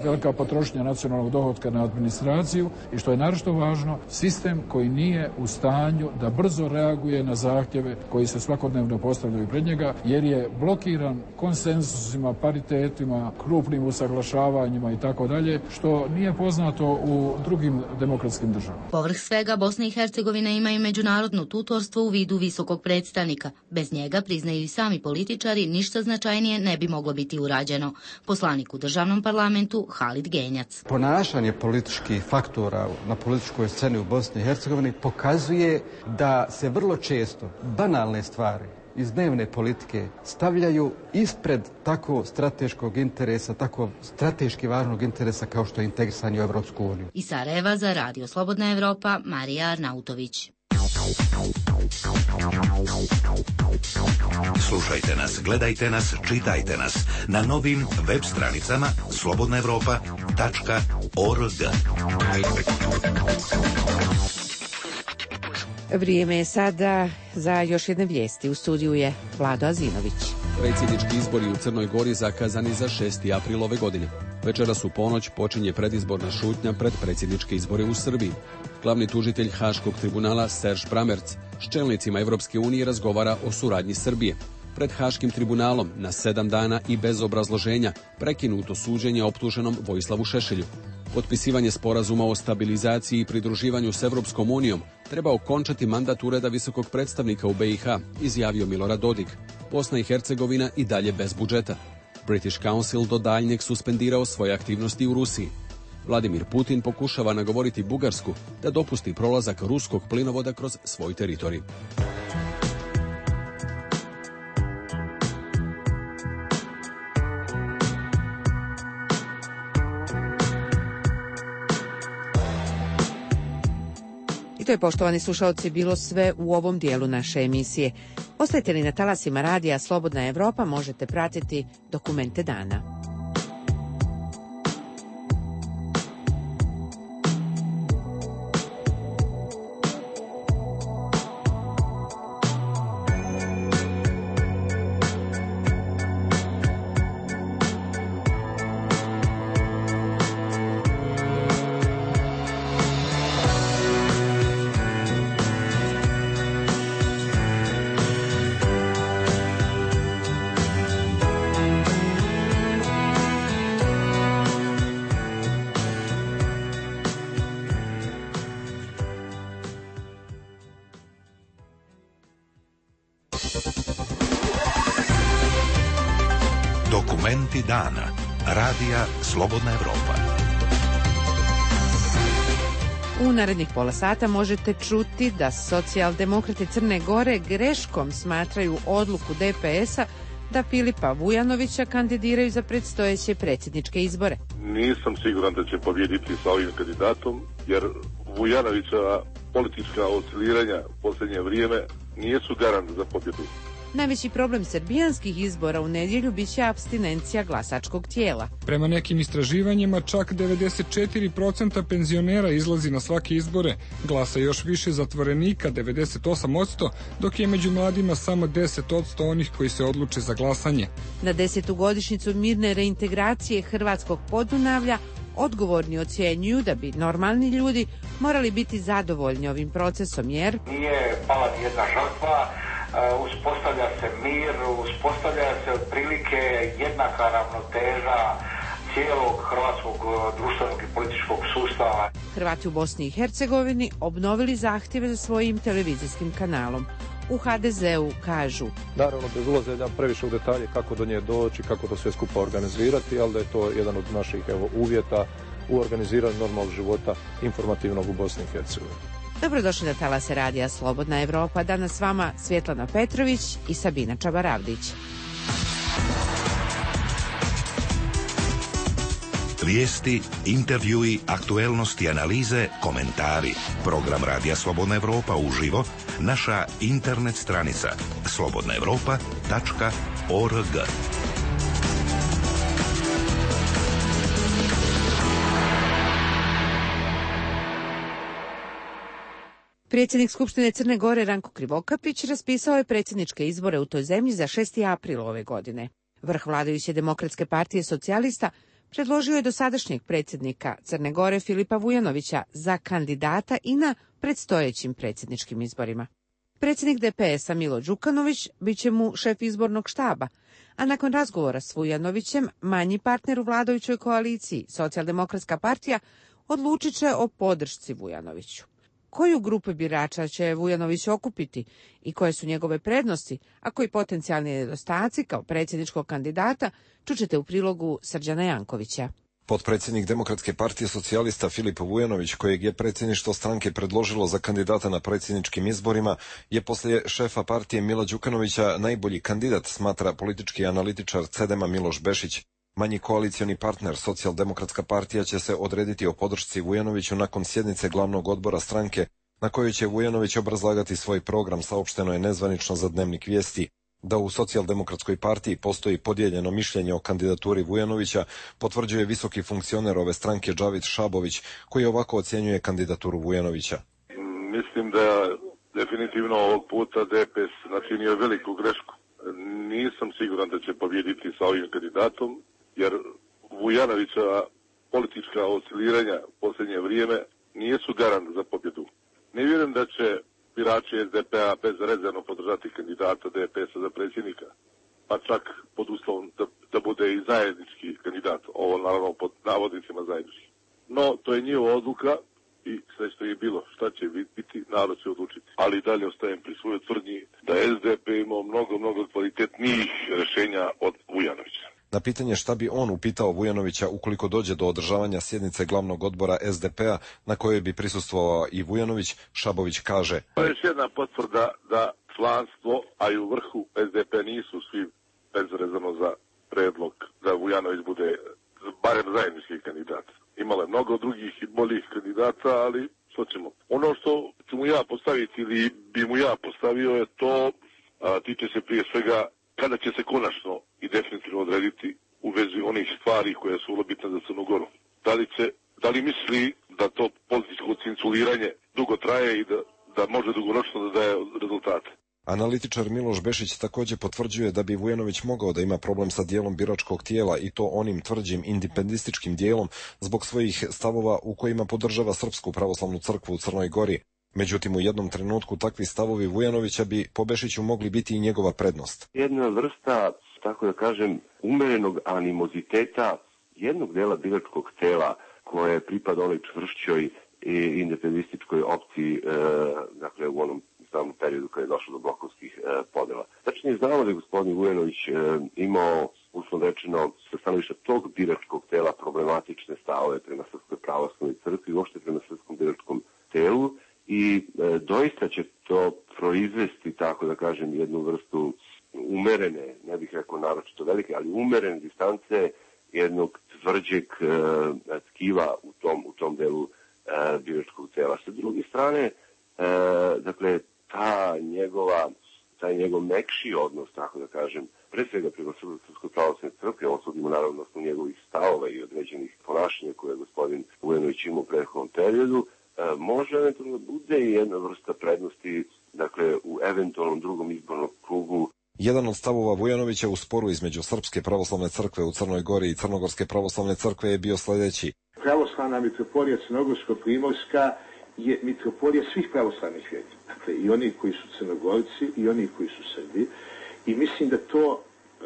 velika potrošnja nacionalnog dohotka na administraciju i što je naročito važno, sistem koji nije u stanju da brzo reaguje na zahtjeve koji se svakodnevno postavljaju pred njega, jer je blokiran konsensusima, paritetima, krupnim usaglašavanjima i tako dalje, što nije poznato u drugim demokratskim državama. Povrh svega, Bosna i Hercegovina ima i međunarodno tutorstvo u vidu visokog predstavnika. Bez njega, priznaju i sami političari, ništa značajnije ne bi moglo biti urađeno. Poslanik u državnom parlamentu Halid Genjac. Ponašanje političkih faktora na političkoj sceni u Bosni i Hercegovini pokazuje da se vrlo često banalne stvari iz dnevne politike stavljaju ispred tako strateškog interesa, tako strateški važnog interesa kao što je integrisanje u Evropsku uniju. Iz Sarajeva za Radio Slobodna Evropa, Marija Arnautović. Slušajte nas, gledajte nas, čitajte nas na novim web stranicama slobodnaevropa.org. Vrijeme je sada za još jedne vijesti. U studiju je Vlado Azinović. Predsjednički izbori u Crnoj Gori zakazani za 6. april ove godine. Večeras u ponoć počinje predizborna šutnja pred predsjedničke izbore u Srbiji. Glavni tužitelj Haškog tribunala Serž Pramerc s čelnicima Evropske unije razgovara o suradnji Srbije. Pred Haškim tribunalom na 7 dana i bez obrazloženja prekinuto suđenje optuženom Vojislavu Šešelju. Potpisivanje sporazuma o stabilizaciji i pridruživanju s Evropskom unijom treba okončati mandat Ureda visokog predstavnika u BiH, izjavio Milorad Dodik. Bosna i Hercegovina i dalje bez budžeta. British Council do daljnjeg suspendirao svoje aktivnosti u Rusiji. Vladimir Putin pokušava nagovoriti Bugarsku da dopusti prolazak ruskog plinovoda kroz svoj teritorij. I to je, poštovani slušalci, bilo sve u ovom dijelu naše emisije. Ostajte li na talasima radija Slobodna Evropa, možete pratiti Dokumente dana. Momenti dana. Radija Slobodna Evropa. U narednih pola sata možete čuti da socijaldemokrati Crne Gore greškom smatraju odluku DPS-a da Filipa Vujanovića kandidiraju za predstojeće predsjedničke izbore. Nisam siguran da će pobjediti sa ovim kandidatom, jer Vujanovića politička osciliranja u posljednje vrijeme nisu garant za pobjedu. Najveći problem srbijanskih izbora u nedjelju biće apstinencija glasačkog tijela. Prema nekim istraživanjima, čak 94% penzionera izlazi na svake izbore, glasa još više zatvorenika, 98%, dok je među mladima samo 10% onih koji se odluče za glasanje. Na 10. godišnjicu mirne reintegracije Hrvatskog Podunavlja odgovorni ocjenjuju da bi normalni ljudi morali biti zadovoljni ovim procesom, jer nije pala ni jedna žrtva, uspostavlja se mir, uspostavlja se otprilike jednaka ravnoteža cijelog hrvatskog društvenog i političkog sustava. Hrvati u Bosni i Hercegovini obnovili zahtjeve za svojim televizijskim kanalom. U HDZ-u kažu: naravno, bez ulaženja previše u detalje kako do nje doći, kako to sve skupa organizirati, ali da je to jedan od naših uvjeta u organiziranju normalnog života informativnog u Bosni i Hercegovini. Dobrodošli na talase radija Slobodna Evropa. Danas s vama Svjetlana Petrović i Sabina Čabaravdić. Vijesti, intervjui, aktuelnosti, analize, komentari. Program Radija Slobodna Evropa uživo, naša internet stranica slobodnaevropa.org. Predsjednik Skupštine Crne Gore Ranko Krivokapić raspisao je predsjedničke izbore u toj zemlji za 6. april ove godine. Vrh vladajuće Demokratske partije socijalista predložio je dosadašnjeg predsjednika Crne Gore Filipa Vujanovića za kandidata i na predstojećim predsjedničkim izborima. Predsjednik DPS-a Milo Đukanović bit će mu šef izbornog štaba, a nakon razgovora s Vujanovićem manji partner u vladajućoj koaliciji, Socijaldemokratska partija, odlučit će o podršci Vujanoviću. Koju grupu birača će Vujanović okupiti i koje su njegove prednosti, a koji potencijalni nedostaci kao predsjedničkog kandidata, čućete u prilogu Srđana Jankovića. Potpredsjednik Demokratske partije socijalista Filip Vujanović, kojeg je predsjedništvo stranke predložilo za kandidata na predsjedničkim izborima, je poslije šefa partije Mila Đukanovića najbolji kandidat, smatra politički analitičar CEDEM-a Miloš Bešić. Manji koalicioni partner, Socijaldemokratska partija, će se odrediti o podršci Vujanoviću nakon sjednice glavnog odbora stranke, na kojoj će Vujanović obrazlagati svoj program, saopšteno je nezvanično za Dnevnik Vijesti. Da u Socijaldemokratskoj partiji postoji podijeljeno mišljenje o kandidaturi Vujanovića, potvrđuje visoki funkcioner ove stranke Džavid Šabović, koji ovako ocjenjuje kandidaturu Vujanovića. Mislim da definitivno ovog puta DPS načinio veliku grešku. Nisam siguran da će pobjediti sa ovim kandidatom, jer Vujanovića politička osciliranja u posljednje vrijeme nisu garant za pobjedu. Ne vjerujem da će birači SDP-a bezrezervno podržati kandidata DPS-a za predsjednika, pa čak pod uslovom da bude i zajednički kandidat, ovo naravno pod navodnicima zajednički. No, to je njihova odluka i sve što je bilo, šta će biti, narod će odlučiti. Ali i dalje ostajem pri svojoj tvrdnji da SDP imao mnogo kvalitetnijih rješenja od Vujanovića. Na pitanje šta bi on upitao Vujanovića ukoliko dođe do održavanja sjednice glavnog odbora SDP-a na kojoj bi prisustvovao i Vujanović, Šabović kaže: to je još jedna potvrda da članstvo, a i u vrhu SDP nisu svi bezrezervno za predlog da Vujanović bude barem zajednički kandidat. Imalo je mnogo drugih i boljih kandidata, ali što ćemo. Ono što ću mu ja postaviti ili bi mu ja postavio je to, tiče se prije svega kada će se konačno i definitivno odrediti u vezi onih stvari koje su vrlo bitne za Crnu Goru. Da li misli da to političko cinculiranje dugo traje i da može dugoročno da daje rezultate? Analitičar Miloš Bešić također potvrđuje da bi Vujanović mogao da ima problem sa dijelom biračkog tijela i to onim tvrđim indipendističkim dijelom zbog svojih stavova u kojima podržava Srpsku pravoslavnu crkvu u Crnoj Gori. Međutim, u jednom trenutku takvi stavovi Vujanovića bi po Bešiću mogli biti i njegova prednost. Jedna vrsta, tako da kažem, umerenog animoziteta jednog dela biračkog tela koje pripada onoj čvršćoj i independističkoj opciji, dakle u onom samom periodu kada je došlo do blokovskih podela. Tačnije znamo da je gospodin Vujanović imao u uslovno rečeno, sa stanovišta tog biračkog tela problematične stavove prema Srpskoj pravoslavnoj crkvi i uopšte prema srpskom biračkom telu i doista će to proizvesti, tako da kažem, jednu vrstu umerene, ne bih rekao naročito velike, ali umerene distance jednog tvrđeg tkiva u tom delu biračkog tela. Sa druge strane, dakle, taj njegov mekši odnos, tako da kažem, pre svega prema Srpskoj pravoslavnoj crkvi, on sudimo naravno na njegovih stavova i određenih ponašanja koje je gospodin Vujanović imao u prethodnom periodu, može eventualno bude i jedna vrsta prednosti, dakle, u eventualnom drugom izbornom krugu. Jedan od stavova Vujanovića u sporu između Srpske pravoslavne crkve u Crnoj Gori i Crnogorske pravoslavne crkve je bio sljedeći. Pravoslavna mitropolija Crnogorsko-primorska je mitropolija svih pravoslavnih vjernika. Dakle, i oni koji su Crnogorci i oni koji su Srbi. I mislim da to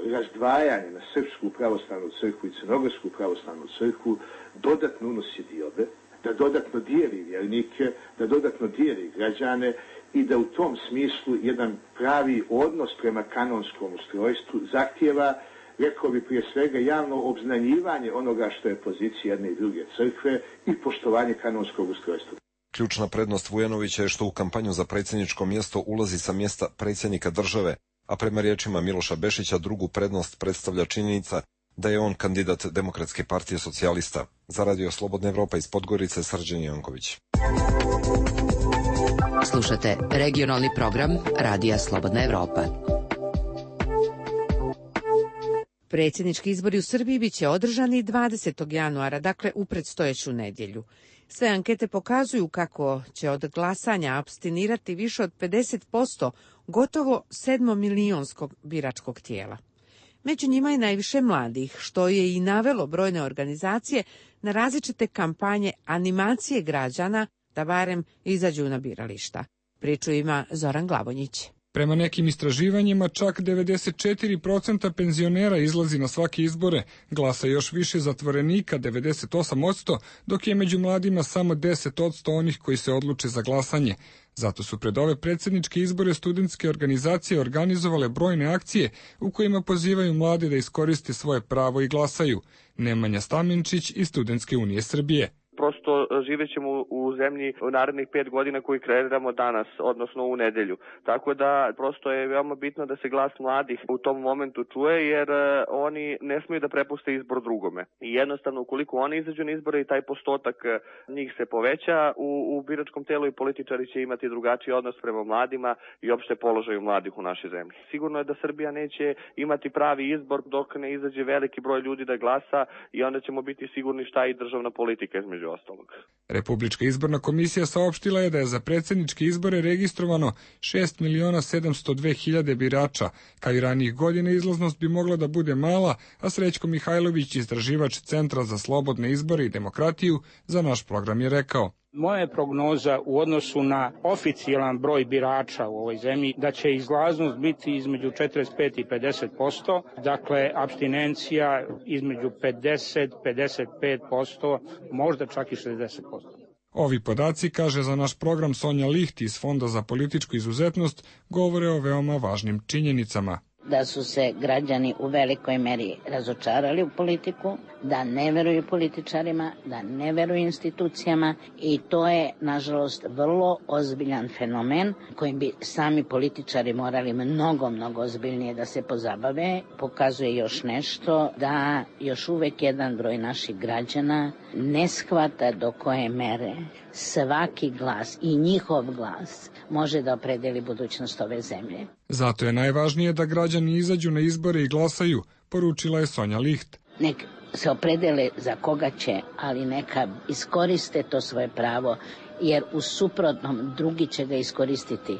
razdvajanje na Srpsku pravoslavnu crkvu i Crnogorsku pravoslavnu crkvu dodatno unosi diobe, da dodatno dijeli vjernike, da dodatno dijeli građane i da u tom smislu jedan pravi odnos prema kanonskom ustrojstvu zahtijeva, rekao bi prije svega, javno obznanjivanje onoga što je pozicija jedne i druge crkve i poštovanje kanonskog ustrojstva. Ključna prednost Vujanovića je što u kampanju za predsjedničko mjesto ulazi sa mjesta predsjednika države, a prema riječima Miloša Bešića drugu prednost predstavlja činjenica da je on kandidat Demokratske partije socijalista. Za Radio Slobodna Evropa iz Podgorice, Srđan Janković. Slušate regionalni program Radija Slobodna Evropa. Predsjednički izbori u Srbiji biće održani 20. januara, dakle u predstojeću nedjelju. Sve ankete pokazuju kako će od glasanja apstinirati više od 50% gotovo 7-milionskog biračkog tijela. Među njima je najviše mladih, što je i navelo brojne organizacije na različite kampanje animacije građana da barem izađu na birališta. Priču ima Zoran Glavonjić. Prema nekim istraživanjima, čak 94% penzionera izlazi na svake izbore, glasa još više zatvorenika, 98%, dok je među mladima samo 10% onih koji se odluče za glasanje. Zato su pred ove predsjedničke izbore studentske organizacije organizovale brojne akcije u kojima pozivaju mlade da iskoriste svoje pravo i glasaju. Nemanja Stamenčić iz Studentske unije Srbije. Prosto živjet ćemo u zemlji u narednih 5 godina koji kreiramo danas, odnosno u nedelju. Tako da prosto je veoma bitno da se glas mladih u tom momentu čuje, jer oni ne smiju da prepuste izbor drugome. I jednostavno, ukoliko oni izađu na izbore i taj postotak njih se poveća, u biračkom telu i političari će imati drugačiji odnos prema mladima i opšte položaju mladih u našoj zemlji. Sigurno je da Srbija neće imati pravi izbor dok ne izađe veliki broj ljudi da glasa i onda ćemo biti sigurni šta i državna politika između ostalog. Republička izborna komisija saopštila je da je za predsjedničke izbore registrovano 6.702.000 birača. Kao i ranijih godina izlaznost bi mogla da bude mala, a Srećko Mihajlović, istraživač Centra za slobodne izbore i demokratiju, za naš program je rekao: Moja je prognoza u odnosu na oficijalan broj birača u ovoj zemlji da će izlaznost biti između 45 i 50%, dakle apstinencija između 50-55%, možda čak i 60%. Ovi podaci, kaže za naš program Sonja Liht iz Fonda za političku izuzetnost, govore o veoma važnim činjenicama. Da su se građani u velikoj meri razočarali u politiku, da ne veruju političarima, da ne veruju institucijama i to je, nažalost, vrlo ozbiljan fenomen kojim bi sami političari morali mnogo ozbiljnije da se pozabave. Pokazuje još nešto, da još uvek jedan broj naših građana ne shvata do koje mere svaki glas i njihov glas može da opredeli budućnost ove zemlje. Zato je najvažnije da građani izađu na izbore i glasaju, poručila je Sonja Liht. Nek se opredele za koga će, ali neka iskoriste to svoje pravo, jer u suprotnom drugi će ga iskoristiti.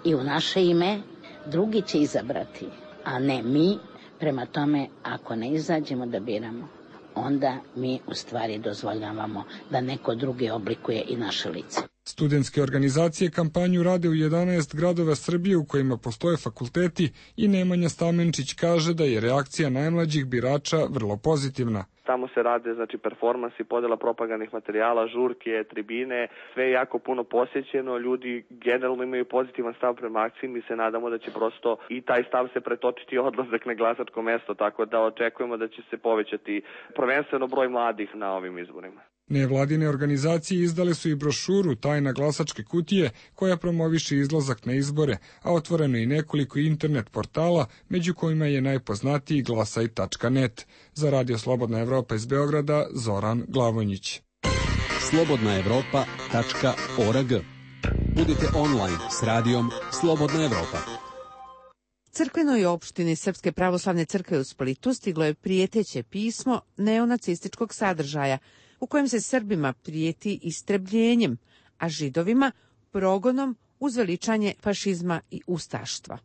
I u naše ime drugi će izabrati, a ne mi. Prema tome, ako ne izađemo da biramo, onda mi u stvari dozvoljavamo da neko drugi oblikuje i naše lice. Studentske organizacije kampanju rade u 11 gradova Srbije u kojima postoje fakulteti i Nemanja Stamenčić kaže da je reakcija najmlađih birača vrlo pozitivna. Tamo se rade, znači, performansi, podela propagandnih materijala, žurke, tribine, sve je jako puno posjećeno, ljudi generalno imaju pozitivan stav prema akciji, mi se nadamo da će prosto i taj stav se pretočiti odlazak na glasačko mesto, tako da očekujemo da će se povećati prvenstveno broj mladih na ovim izborima. Nevladine organizacije izdale su i brošuru Tajna glasačke kutije koja promoviše izlazak na izbore, a otvoreno i nekoliko internet portala, među kojima je najpoznatiji glasaj.net. Za Radio Slobodna Evropa iz Beograda, Zoran Glavonjić. slobodnaevropa.org. Budite online s radijom Slobodna Evropa. Crkvenoj opštini Srpske pravoslavne crkve u Splitu stiglo je prijeteće pismo neonacističkog sadržaja, u kojem se Srbima prijeti istrebljenjem, a Židovima progonom uz veličanje fašizma i ustaštva.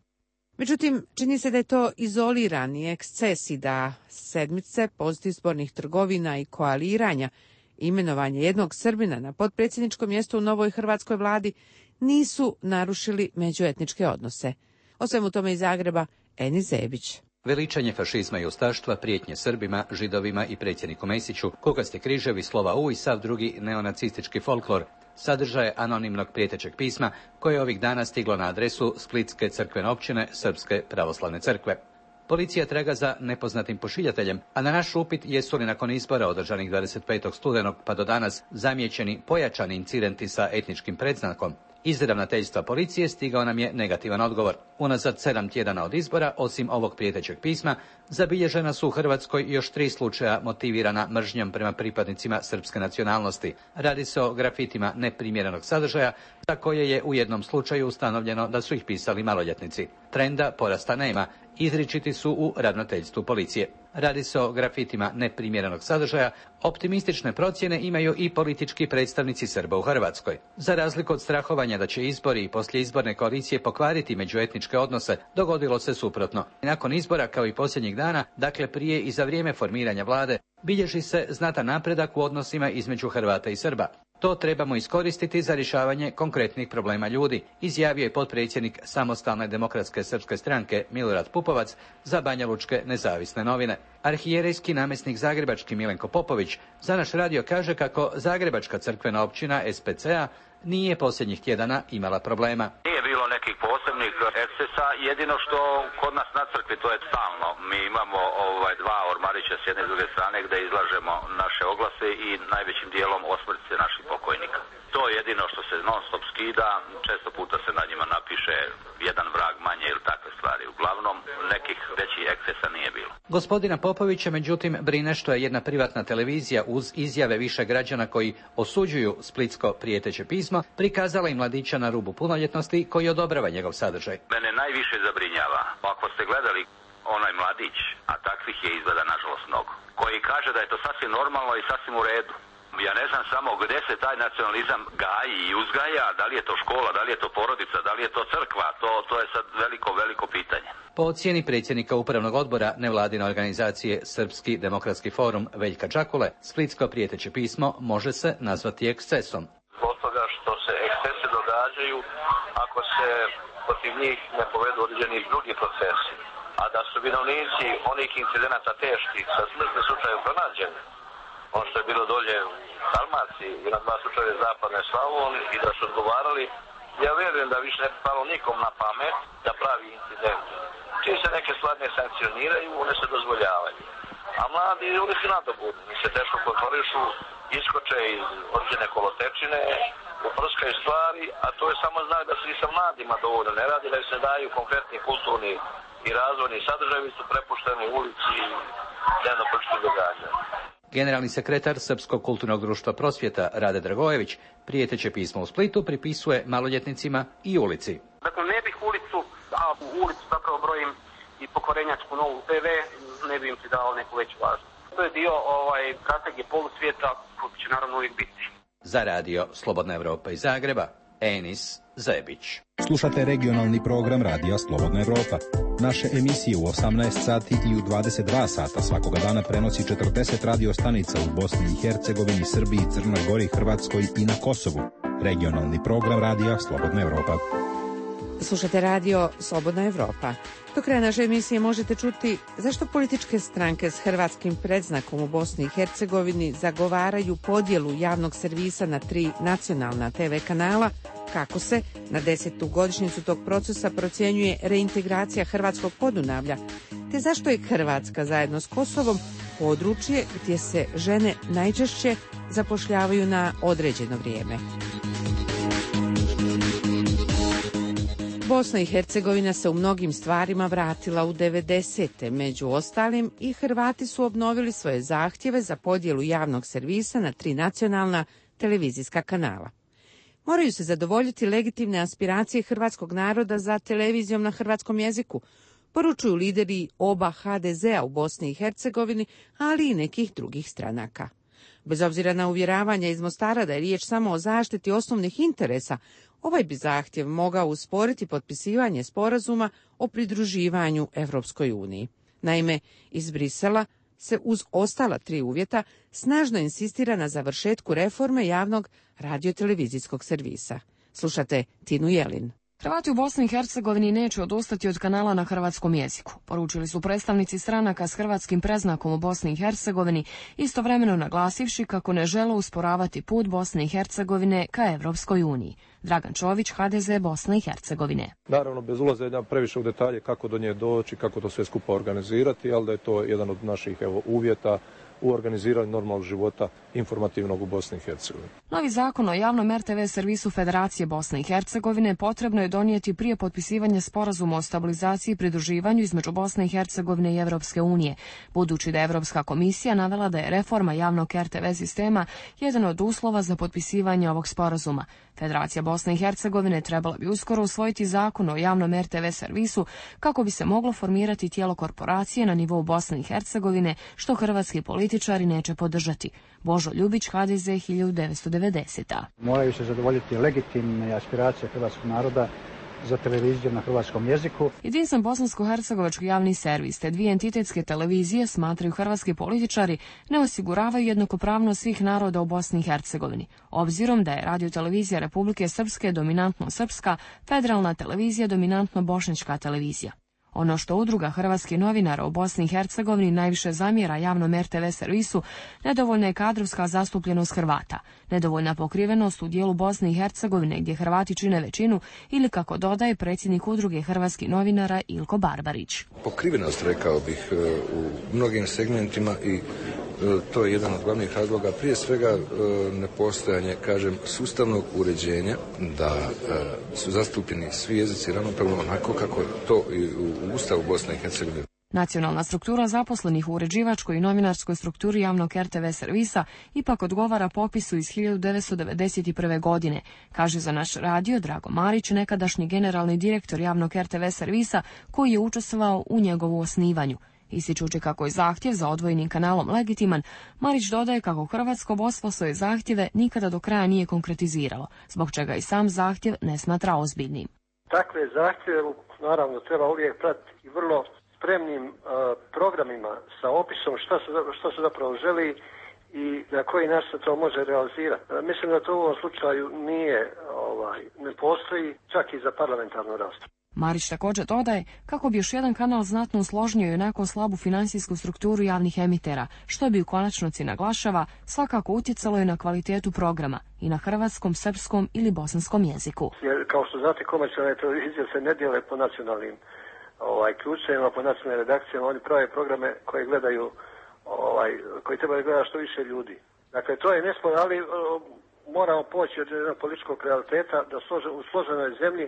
Međutim, čini se da je to izolirani eksces i da sedmice postizbornih trgovina i koaliranja, imenovanje jednog Srbina na potpredsjedničko mjesto u novoj hrvatskoj vladi nisu narušili međuetničke odnose. O svemu tome iz Zagreba, Eni Zebić. Veličanje fašizma i ustaštva, prijetnje Srbima, Židovima i predsjedniku Mesiću, kukasti križevi, slova U i sav drugi neonacistički folklor, sadržaje anonimnog prijetećeg pisma koje je ovih dana stiglo na adresu Splitske crkvene općine Srpske pravoslavne crkve. Policija traga za nepoznatim pošiljateljem, a na naš upit jesu li nakon izbora održanih 25. studenog pa do danas zamijećeni pojačani incidenti sa etničkim predznakom, iz ravnateljstva policije stigao nam je negativan odgovor. Unazad 7 tjedana od izbora, osim ovog prijetećeg pisma, zabilježena su u Hrvatskoj još 3 slučaja motivirana mržnjom prema pripadnicima srpske nacionalnosti. Radi se o grafitima neprimjerenog sadržaja, za koje je u jednom slučaju ustanovljeno da su ih pisali maloljetnici. Trenda porasta nema, izričiti su u ravnateljstvu policije. Radi se o grafitima neprimjerenog sadržaja, optimistične procjene imaju i politički predstavnici Srba u Hrvatskoj. Za razliku od strahovanja da će izbori i poslijeizborne koalicije pokvariti međuetničke odnose, dogodilo se suprotno. Nakon izbora, kao i posljednjih dana, dakle prije i za vrijeme formiranja vlade, bilježi se znatan napredak u odnosima između Hrvata i Srba. To trebamo iskoristiti za rješavanje konkretnih problema ljudi, izjavio je potpredsjednik Samostalne demokratske srpske stranke Milorad Pupovac za Banjalučke nezavisne novine. Arhijerejski namjesnik zagrebački Milenko Popović za naš radio kaže kako Zagrebačka crkvena općina SPCA nije posljednjih tjedana imala problema. Nije bilo nekih posebnih ekscesa, jedino što kod nas na crkvi to je stalno. Mi imamo dva ormarića s jedne i druge strane gdje izlažemo naše oglase i najvećim dijelom osmrtnice naših pokojnika. To je jedino što se non stop skida, često puta se na njima napiše jedan vrag manje ili takve stvari. Uglavnom nekih većih ekscesa nije bilo. Gospodina Popovića, međutim, brine što je jedna privatna televizija uz izjave više građana koji osuđuju splitsko prijeteće pismo prikazala i mladića na rubu punoljetnosti koji odobrava njegov sadržaj. Mene najviše zabrinjava, ako ste gledali onaj mladić, a takvih je izgleda nažalost mnogo, koji kaže da je to sasvim normalno i sasvim u redu. Ja ne znam samo gdje se taj nacionalizam gaji i uzgaja, da li je to škola, da li je to porodica, da li je to crkva, to je sad veliko pitanje. Po ocjeni predsjednika upravnog odbora nevladine organizacije Srpski demokratski forum Veljka Đakule, splitsko prijeteće pismo može se nazvati ekscesom. Zbog toga što se ekscese događaju ako se protiv njih ne povedu određeni drugi procesi, a da su vinovnici onih incidenata teških sa smrtnim slučajem pronađeni, ono što je bilo dolje u Dalmaciji i na 2 slučaje zapadne Slavonije i da su odgovarali, ja vjerujem da više ne bi palo nikom na pamet da pravi incident. Čim se neke stvari ne sankcioniraju, one se dozvoljavaju. A mladi, oni su nadobudni, mi se teško kontrolišu, iskoče iz određene kolotečine, uprskaju stvari, a to je samo znak da se i sa mladima dovoljno ne radi, da se daju konkretni kulturni i razvojni sadržaji, su prepušteni u ulici i dnevno-političkih događanja. Generalni sekretar Srpskog kulturnog društva Prosvjeta Rade Dragojević prijeteće pismo u Splitu pripisuje maloljetnicima i ulici. Dakle, ne bih ulicu, a u ulicu zapravo brojim i pokvarenjačku Novu TV, ne bi im ti dao neku veću važnost. To je dio strategije polusvijeta koji će naravno uvijek biti. Za radio Slobodna Evropa iz Zagreba, Enis Zebić. Slušate regionalni program Radija Slobodna Evropa. Naše emisije u 18 sati i u 22 sata svakoga dana prenosi 40 radio stanica u Bosni i Hercegovini, Srbiji, Crnoj Gori, Hrvatskoj i na Kosovu. Regionalni program Radija Slobodna Evropa. Slušate radio Slobodna Evropa. Do kraja naše emisije možete čuti zašto političke stranke s hrvatskim predznakom u Bosni i Hercegovini zagovaraju podjelu javnog servisa na 3 nacionalna TV kanala, kako se na 10. godišnjicu tog procesa procjenjuje reintegracija hrvatskog Podunavlja, te zašto je Hrvatska zajedno s Kosovom područje gdje se žene najčešće zapošljavaju na određeno vrijeme. Bosna i Hercegovina se u mnogim stvarima vratila u 90. Među ostalim i Hrvati su obnovili svoje zahtjeve za podjelu javnog servisa na 3 nacionalna televizijska kanala. Moraju se zadovoljiti legitimne aspiracije hrvatskog naroda za televizijom na hrvatskom jeziku, poručuju lideri oba HDZ-a u Bosni i Hercegovini, ali i nekih drugih stranaka. Bez obzira na uvjeravanja iz Mostara da je riječ samo o zaštiti osnovnih interesa, ovaj bi zahtjev mogao usporiti potpisivanje sporazuma o pridruživanju Evropskoj uniji. Naime, iz Brisela se uz ostala 3 uvjeta snažno insistira na završetku reforme javnog radiotelevizijskog servisa. Slušate Tinu Jelin. Hrvati u Bosni i Hercegovini neće odustati od kanala na hrvatskom jeziku, poručili su predstavnici stranaka s hrvatskim predznakom u Bosni i Hercegovini, istovremeno naglasivši kako ne žele usporavati put Bosne i Hercegovine ka Evropskoj uniji. Dragan Čović, HDZ Bosne i Hercegovine. Naravno, bez ulaženja previše u detalje kako do nje doći, kako to sve skupa organizirati, ali da je to jedan od naših uvjeta u organiziranju normalnog života informativnog u Bosni i Hercegovini. Novi zakon o javnom RTV servisu Federacije Bosne i Hercegovine potrebno je donijeti prije potpisivanja sporazuma o stabilizaciji i pridruživanju između Bosne i Hercegovine i Evropske unije, budući da je Evropska komisija navela da je reforma javnog RTV sistema jedan od uslova za potpisivanje ovog sporazuma. Federacija Bosne i Hercegovine trebala bi uskoro usvojiti zakon o javnom RTV servisu kako bi se moglo formirati tijelo korporacije na nivou Bosne i Hercegovine, što hrvatski političari neće podržati. Božo Ljubić, HDZ 1990. Moraju se zadovoljiti legitimne aspiracije hrvatskog naroda za televiziju na hrvatskom jeziku. Jedinstven bosansko-hercegovački javni servis te 2 entitetske televizije, smatraju hrvatski političari, ne osiguravaju jednakopravnost svih naroda u Bosni i Hercegovini. Obzirom da je radiotelevizija Republike Srpske dominantno srpska, federalna televizija dominantno bošnjačka televizija. Ono što udruga hrvatskih novinara u Bosni i Hercegovini najviše zamjera javnom RTV servisu, nedovoljna je kadrovska zastupljenost Hrvata, nedovoljna pokrivenost u dijelu Bosne i Hercegovine gdje Hrvati čine većinu ili, kako dodaje predsjednik udruge hrvatskih novinara Ilko Barbarić. Pokrivenost, rekao bih, u mnogim segmentima i to je jedan od glavnih razloga, prije svega nepostojanje, sustavnog uređenja, da su zastupljeni svi jezici ravnopravno onako kako je to i u Ustavu Bosne i Hercegovine. Nacionalna struktura zaposlenih u uređivačkoj i novinarskoj strukturi javnog RTV servisa ipak odgovara popisu iz 1991. godine, kaže za naš radio Drago Marić, nekadašnji generalni direktor javnog RTV servisa koji je učestvovao u njegovu osnivanju. Ističući kako je zahtjev za odvojenim kanalom legitiman, Marić dodaje kako hrvatsko vodstvo svoje zahtjeve nikada do kraja nije konkretiziralo, zbog čega i sam zahtjev ne smatra ozbiljnim. Takve zahtjeve naravno treba uvijek pratiti i vrlo spremnim programima sa opisom što se zapravo želi i na koji način se to može realizirati. Mislim da to u ovom slučaju ne postoji čak i za parlamentarnu raspravu. Marić također dodaje kako bi još jedan kanal znatno usložnio i onako slabu financijsku strukturu javnih emitera, što bi u konačnici, naglašava, svakako utjecalo i na kvalitetu programa i na hrvatskom, srpskom ili bosanskom jeziku. Jer, kao što znate, komercijalne televizije se ne dijele po nacionalnim ključevima, po nacionalnim redakcijama, oni prave programe koje gledaju, koji trebaju gledati što više ljudi. Dakle, to je nesporno, ali moramo poći od jednog političkog realiteta da u složenoj zemlji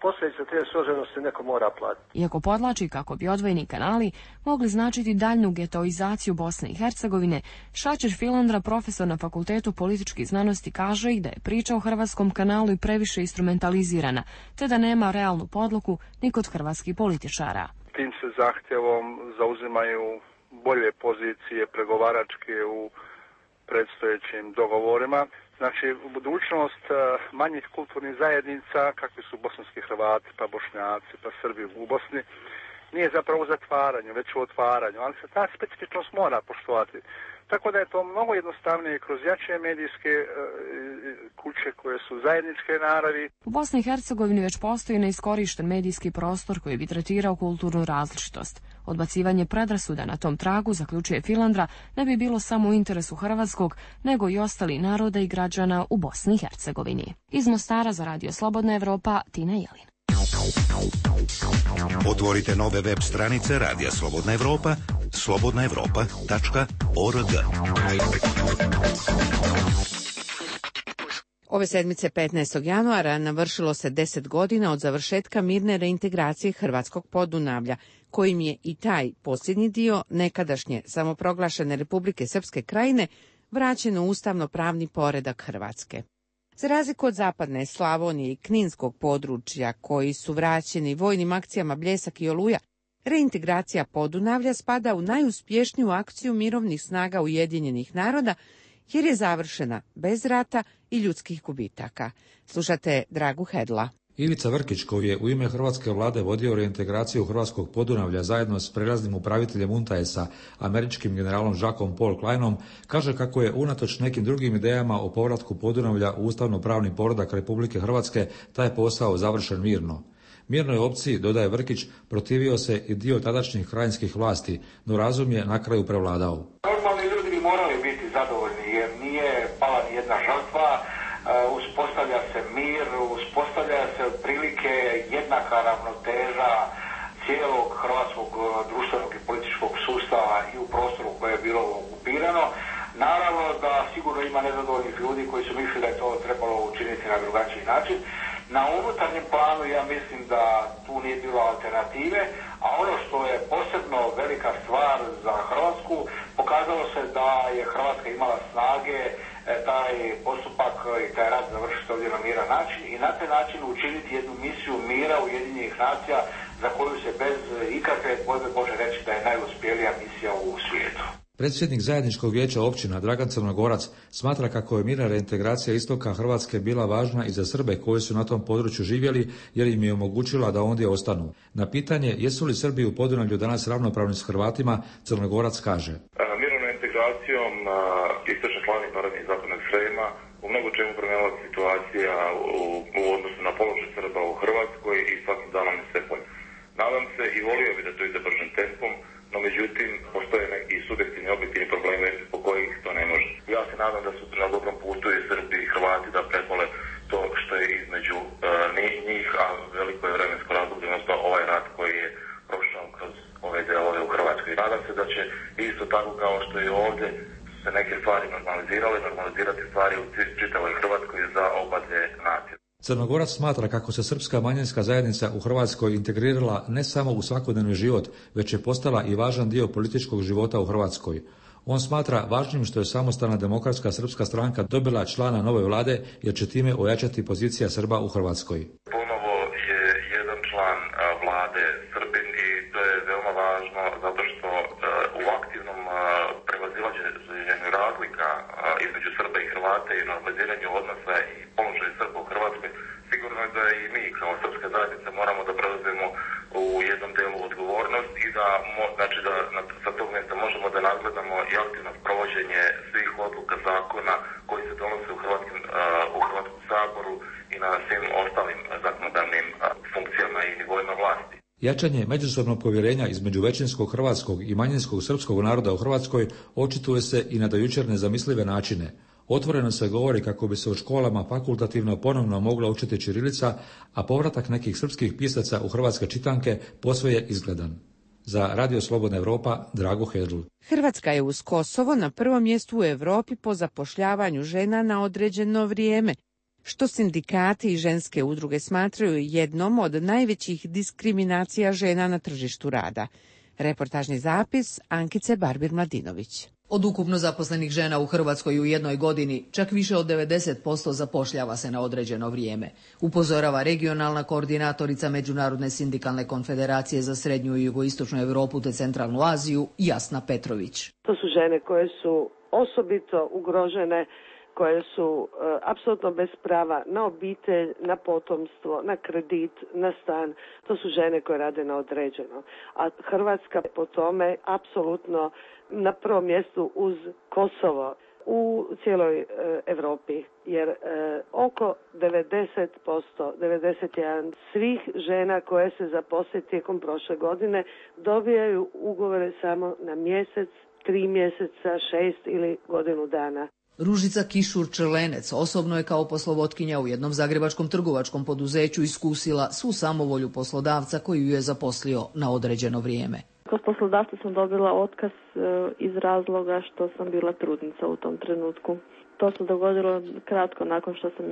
posljedice te složenosti neko mora platiti. Iako podlači kako bi odvojeni kanali mogli značiti daljnju getoizaciju Bosne i Hercegovine, Šačer Filandra, profesor na Fakultetu političkih znanosti, kaže i da je priča o hrvatskom kanalu i previše instrumentalizirana, te da nema realnu podlogu ni kod hrvatskih političara. Tim se zahtjevom zauzimaju bolje pozicije pregovaračke u predstojećim dogovorima. Znači, budućnost manjih kulturnih zajednica, kakvi su bosanski Hrvati, pa Bošnjaci, pa Srbi u Bosni, nije zapravo u zatvaranju, već u otvaranju, ali se ta specifičnost mora poštovati. Tako da je to mnogo jednostavnije kroz jače medijske kuće koje su zajedničke naravi. U Bosni i Hercegovini već postoji neiskorišten medijski prostor koji bi tretirao kulturnu različitost. Odbacivanje predrasuda na tom tragu, zaključuje Filandra, ne bi bilo samo u interesu hrvatskog, nego i ostali naroda i građana u Bosni i Hercegovini. Iz Mostara za Radio Slobodna Evropa, Tina Jelin. Otvorite nove web stranice Radija Slobodna Evropa, slobodnaevropa.org. Ove sedmice 15. januara navršilo se 10 godina od završetka mirne reintegracije Hrvatskog Podunavlja, kojim je i taj posljednji dio nekadašnje samoproglašene Republike Srpske Krajine vraćen u ustavno-pravni poredak Hrvatske. Za razliku od zapadne Slavonije i Kninskog područja, koji su vraćeni vojnim akcijama Bljesak i Oluja, reintegracija Podunavlja spada u najuspješniju akciju mirovnih snaga Ujedinjenih naroda, jer je završena bez rata i ljudskih gubitaka. Slušate Dragu Hedla. Ivica Vrkić, koji je u ime hrvatske vlade vodio reintegraciju Hrvatskog Podunavlja zajedno s prelaznim upraviteljem UNTAES-a, američkim generalom Jackom Paul Kleinom, kaže kako je unatoč nekim drugim idejama o povratku Podunavlja u ustavno-pravni poredak Republike Hrvatske taj posao završen mirno. Mirnoj opciji, dodaje Vrkić, protivio se i dio tadašnjih krajinskih vlasti, no razum je na kraju prevladao. Normalni ljudi bi morali biti zadovoljni jer nije pala ni jedna žrtva, uspostavlja se mir, uspostavlja se otprilike jednaka ravnoteža cijelog hrvatskog društvenog i političkog sustava i u prostoru koje je bilo okupirano. Naravno da sigurno ima nezadovoljnih ljudi koji su mislili da je to trebalo učiniti na drugačiji način. Na unutarnjem planu ja mislim da tu nije bilo alternative, a ono što je posebno velika stvar za Hrvatsku, pokazalo se da je Hrvatska imala snage taj postupak i taj rad završiti ovdje na miran način i na taj način učiniti jednu misiju mira Ujedinjenih nacija za koju se bez ikakve dvojbe može reći da je najuspjelija misija u svijetu. Predsjednik zajedničkog vijeća općina Dragan Crnogorac smatra kako je mirna reintegracija istoka Hrvatske bila važna i za Srbe koji su na tom području živjeli jer im je omogućila da ondje ostanu. Na pitanje jesu li Srbi u Podunavlju danas ravnopravni s Hrvatima, Crnogorac kaže: Mirnom reintegracijom istočne Slavonije, Baranje i zapadnog Srema u mnogo čemu promijenila situacija u odnosu na položaj Srba u Hrvatskoj i svakim danom se bolje. Nadam se i volio bi da to ide bržim tempom, no međutim postoje neki subjektivni objektivni problemi po kojih to ne može. Ja se nadam da su na dobrom putu i Srbi i Hrvati da prebole to što je između njih, a veliko je vremensko razdoblje, odnosno ovaj rat koji je prošao kroz ove delove u Hrvatskoj. Nadam se da će isto tako kao što je ovdje se neke stvari normalizirati stvari u čitavoj Hrvatskoj za oba dvije nacije. Crnogorac smatra kako se srpska manjinska zajednica u Hrvatskoj integrirala ne samo u svakodnevni život, već je postala i važan dio političkog života u Hrvatskoj. On smatra važnim što je samostalna demokratska srpska stranka dobila člana nove vlade, jer će time ojačati pozicija Srba u Hrvatskoj. Ponovo je jedan član vlade Srbin i to je veoma važno zato što u aktivnom prevazilaženju razlika između Srba i Hrvata i normaliziranju odnosa i položaju Srba u Hrvatskoj, sigurno je da i mi kao srpska zajednica moramo da preuzmemo u jednom delu odgovornost i da sa tog mjesta možemo da nadgledamo i aktivno provođenje svih odluka zakona koji se donose u Hrvatskom saboru i na svim ostalim zakonodavnim funkcijama i nivoima vlasti. Jačanje međusobnog povjerenja između većinskog hrvatskog i manjinskog srpskog naroda u Hrvatskoj očituje se i na do jučer nezamislive načine. Otvoreno se govori kako bi se u školama fakultativno ponovno mogla učiti ćirilica, a povratak nekih srpskih pisaca u hrvatske čitanke posve je izgledan. Za Radio Slobodna Evropa, Drago Hedl. Hrvatska je uz Kosovo na prvom mjestu u Europi po zapošljavanju žena na određeno vrijeme, što sindikati i ženske udruge smatraju jednom od najvećih diskriminacija žena na tržištu rada. Reportažni zapis Ankice Barbir-Mladinović. Od ukupno zaposlenih žena u Hrvatskoj u jednoj godini, čak više od 90% zapošljava se na određeno vrijeme, upozorava regionalna koordinatorica Međunarodne sindikalne konfederacije za Srednju i Jugoistočnu Europu te Centralnu Aziju, Jasna Petrović. To su žene koje su osobito ugrožene koje su apsolutno bez prava na obitelj, na potomstvo, na kredit, na stan. To su žene koje rade na određeno. A Hrvatska po tome apsolutno na prvom mjestu uz Kosovo u cijeloj Europi, jer oko 90%, 91% svih žena koje se zaposle tijekom prošle godine dobijaju ugovore samo na mjesec, 3 mjeseca, 6 ili godinu dana. Ružica Kišur-Črlenec osobno je kao poslovodkinja u jednom zagrebačkom trgovačkom poduzeću iskusila svu samovolju poslodavca koji ju je zaposlio na određeno vrijeme. Kod poslodavca sam dobila otkaz iz razloga što sam bila trudnica u tom trenutku. To se dogodilo kratko nakon što sam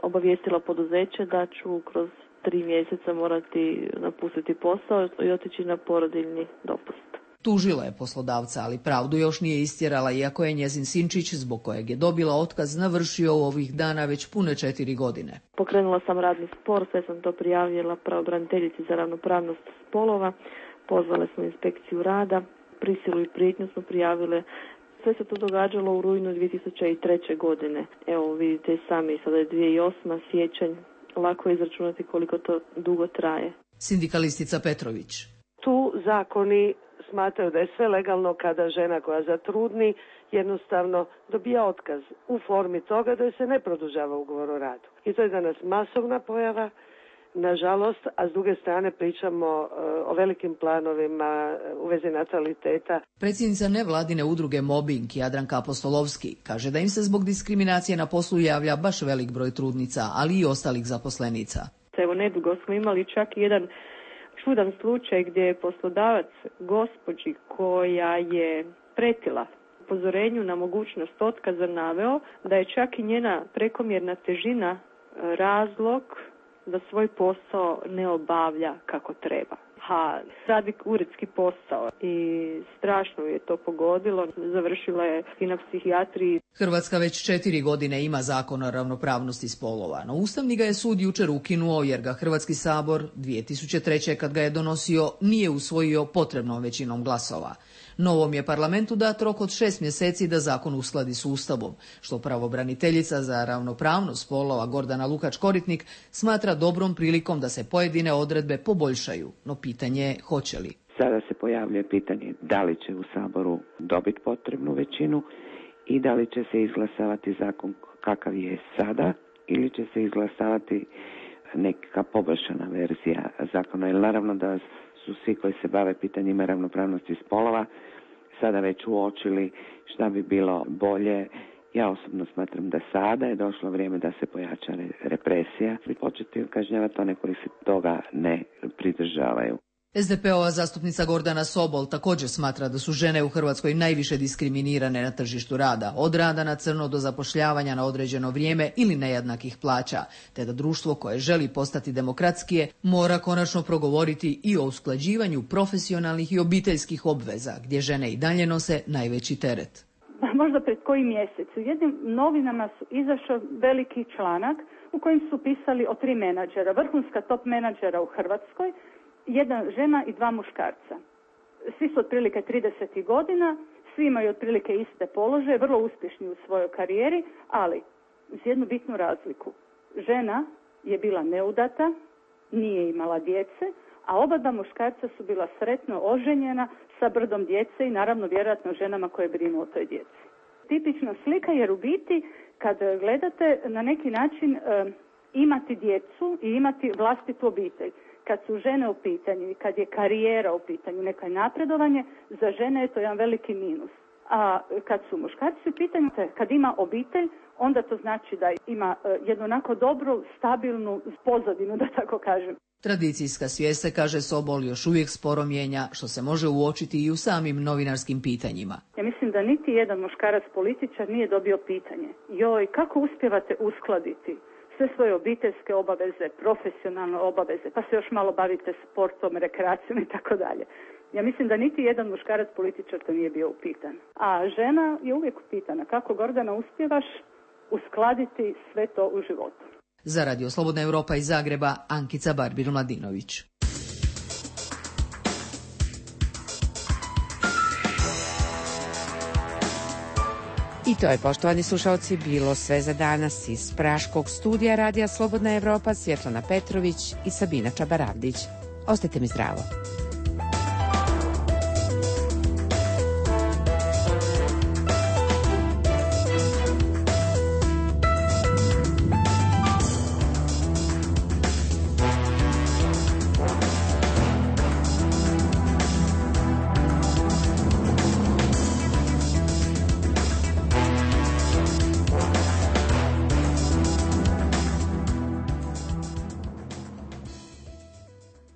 obavijestila poduzeće da ću kroz 3 mjeseca morati napustiti posao i otići na porodiljni dopust. Tužila je poslodavca, ali pravdu još nije istjerala, iako je njezin sinčić, zbog kojeg je dobila otkaz, navršio u ovih dana već pune 4 godine. Pokrenula sam radni spor, sve sam to prijavila pravobraniteljici za ravnopravnost spolova. Pozvale smo inspekciju rada, prisilu i prijetnju smo prijavile. Sve se to događalo u rujnu 2003. godine. Evo vidite sami, sada je 2008. siječanj. Lako je izračunati koliko to dugo traje. Sindikalistica Petrović. Tu zakoni smatraju da je sve legalno kada žena koja zatrudni jednostavno dobija otkaz u formi toga da se ne produžava ugovor o radu. I to je danas masovna pojava, nažalost, a s druge strane pričamo o velikim planovima u vezi nataliteta. Predsjednica nevladine udruge Mobbing Jadranka Apostolovski kaže da im se zbog diskriminacije na poslu javlja baš velik broj trudnica, ali i ostalih zaposlenica. Evo, nedugo smo imali čak jedan čudan slučaj gdje je poslodavac gospođi koja je pretila upozorenju na mogućnost otkaza naveo da je čak i njena prekomjerna težina razlog da svoj posao ne obavlja kako treba. Radi uredski posao i strašno je to pogodilo. Završila je i na psihijatriji. Hrvatska već 4 godine ima zakon o ravnopravnosti spolova, no Ustavni ga je sud jučer ukinuo jer ga Hrvatski sabor 2003. kad ga je donosio nije usvojio potrebnom većinom glasova. Novom je parlamentu dat rok od 6 mjeseci da zakon uskladi s Ustavom, što pravobraniteljica za ravnopravnost spolova Gordana Lukač-Koritnik smatra dobrom prilikom da se pojedine odredbe poboljšaju, no pitanje je hoće li. Sada se pojavljuje pitanje da li će u Saboru dobiti potrebnu većinu i da li će se izglasavati zakon kakav je sada ili će se izglasavati neka poboljšana verzija zakona. Jer naravno da su svi koji se bave pitanjima ravnopravnosti spolova sada već uočili šta bi bilo bolje. Ja osobno smatram da sada je došlo vrijeme da se pojača represija i početi kažnjavati one koji se toga ne pridržavaju. SDP-ova zastupnica Gordana Sobol također smatra da su žene u Hrvatskoj najviše diskriminirane na tržištu rada, od rada na crno do zapošljavanja na određeno vrijeme ili nejednakih plaća, te da društvo koje želi postati demokratskije mora konačno progovoriti i o usklađivanju profesionalnih i obiteljskih obveza, gdje žene i dalje nose najveći teret. Možda pred koji mjesec u jednim novinama su izašao veliki članak u kojem su pisali o 3 menadžera, vrhunska top menadžera u Hrvatskoj, 1 žena i 2 muškarca. Svi su otprilike 30 godina, svi imaju otprilike iste položaje, vrlo uspješni u svojoj karijeri, ali uz jednu bitnu razliku. Žena je bila neudata, nije imala djece, a oba 2 muškarca su bila sretno oženjena sa brdom djece i naravno vjerojatno ženama koje brinu o toj djeci. Tipična slika jer u biti kad gledate na neki način imati djecu i imati vlastitu obitelj. Kad su žene u pitanju i kad je karijera u pitanju, neko napredovanje, za žene je to jedan veliki minus. A kad su muškarci u pitanju, kad ima obitelj, onda to znači da ima jednu onako dobru, stabilnu pozadinu, da tako kažem. Tradicijska svijest se, kaže Sobol, još uvijek sporo mijenja, što se može uočiti i u samim novinarskim pitanjima. Ja mislim da niti jedan muškarac političar nije dobio pitanje. Joj, kako uspijevate uskladiti sve svoje obiteljske obaveze, profesionalne obaveze, pa se još malo bavite sportom, rekreacijom i tako dalje. Ja mislim da niti jedan muškarac političar to nije bio upitan. A žena je uvijek upitana. Kako, Gordana, uspijevaš uskladiti sve to u životu? Za Radio Slobodna Europa iz Zagreba, Ankica Barbir-Mladinović. I to je, poštovani slušalci, bilo sve za danas iz praškog studija Radija Slobodna Evropa, Svjetlana Petrović i Sabina Čabaravdić. Ostajte mi zdravo.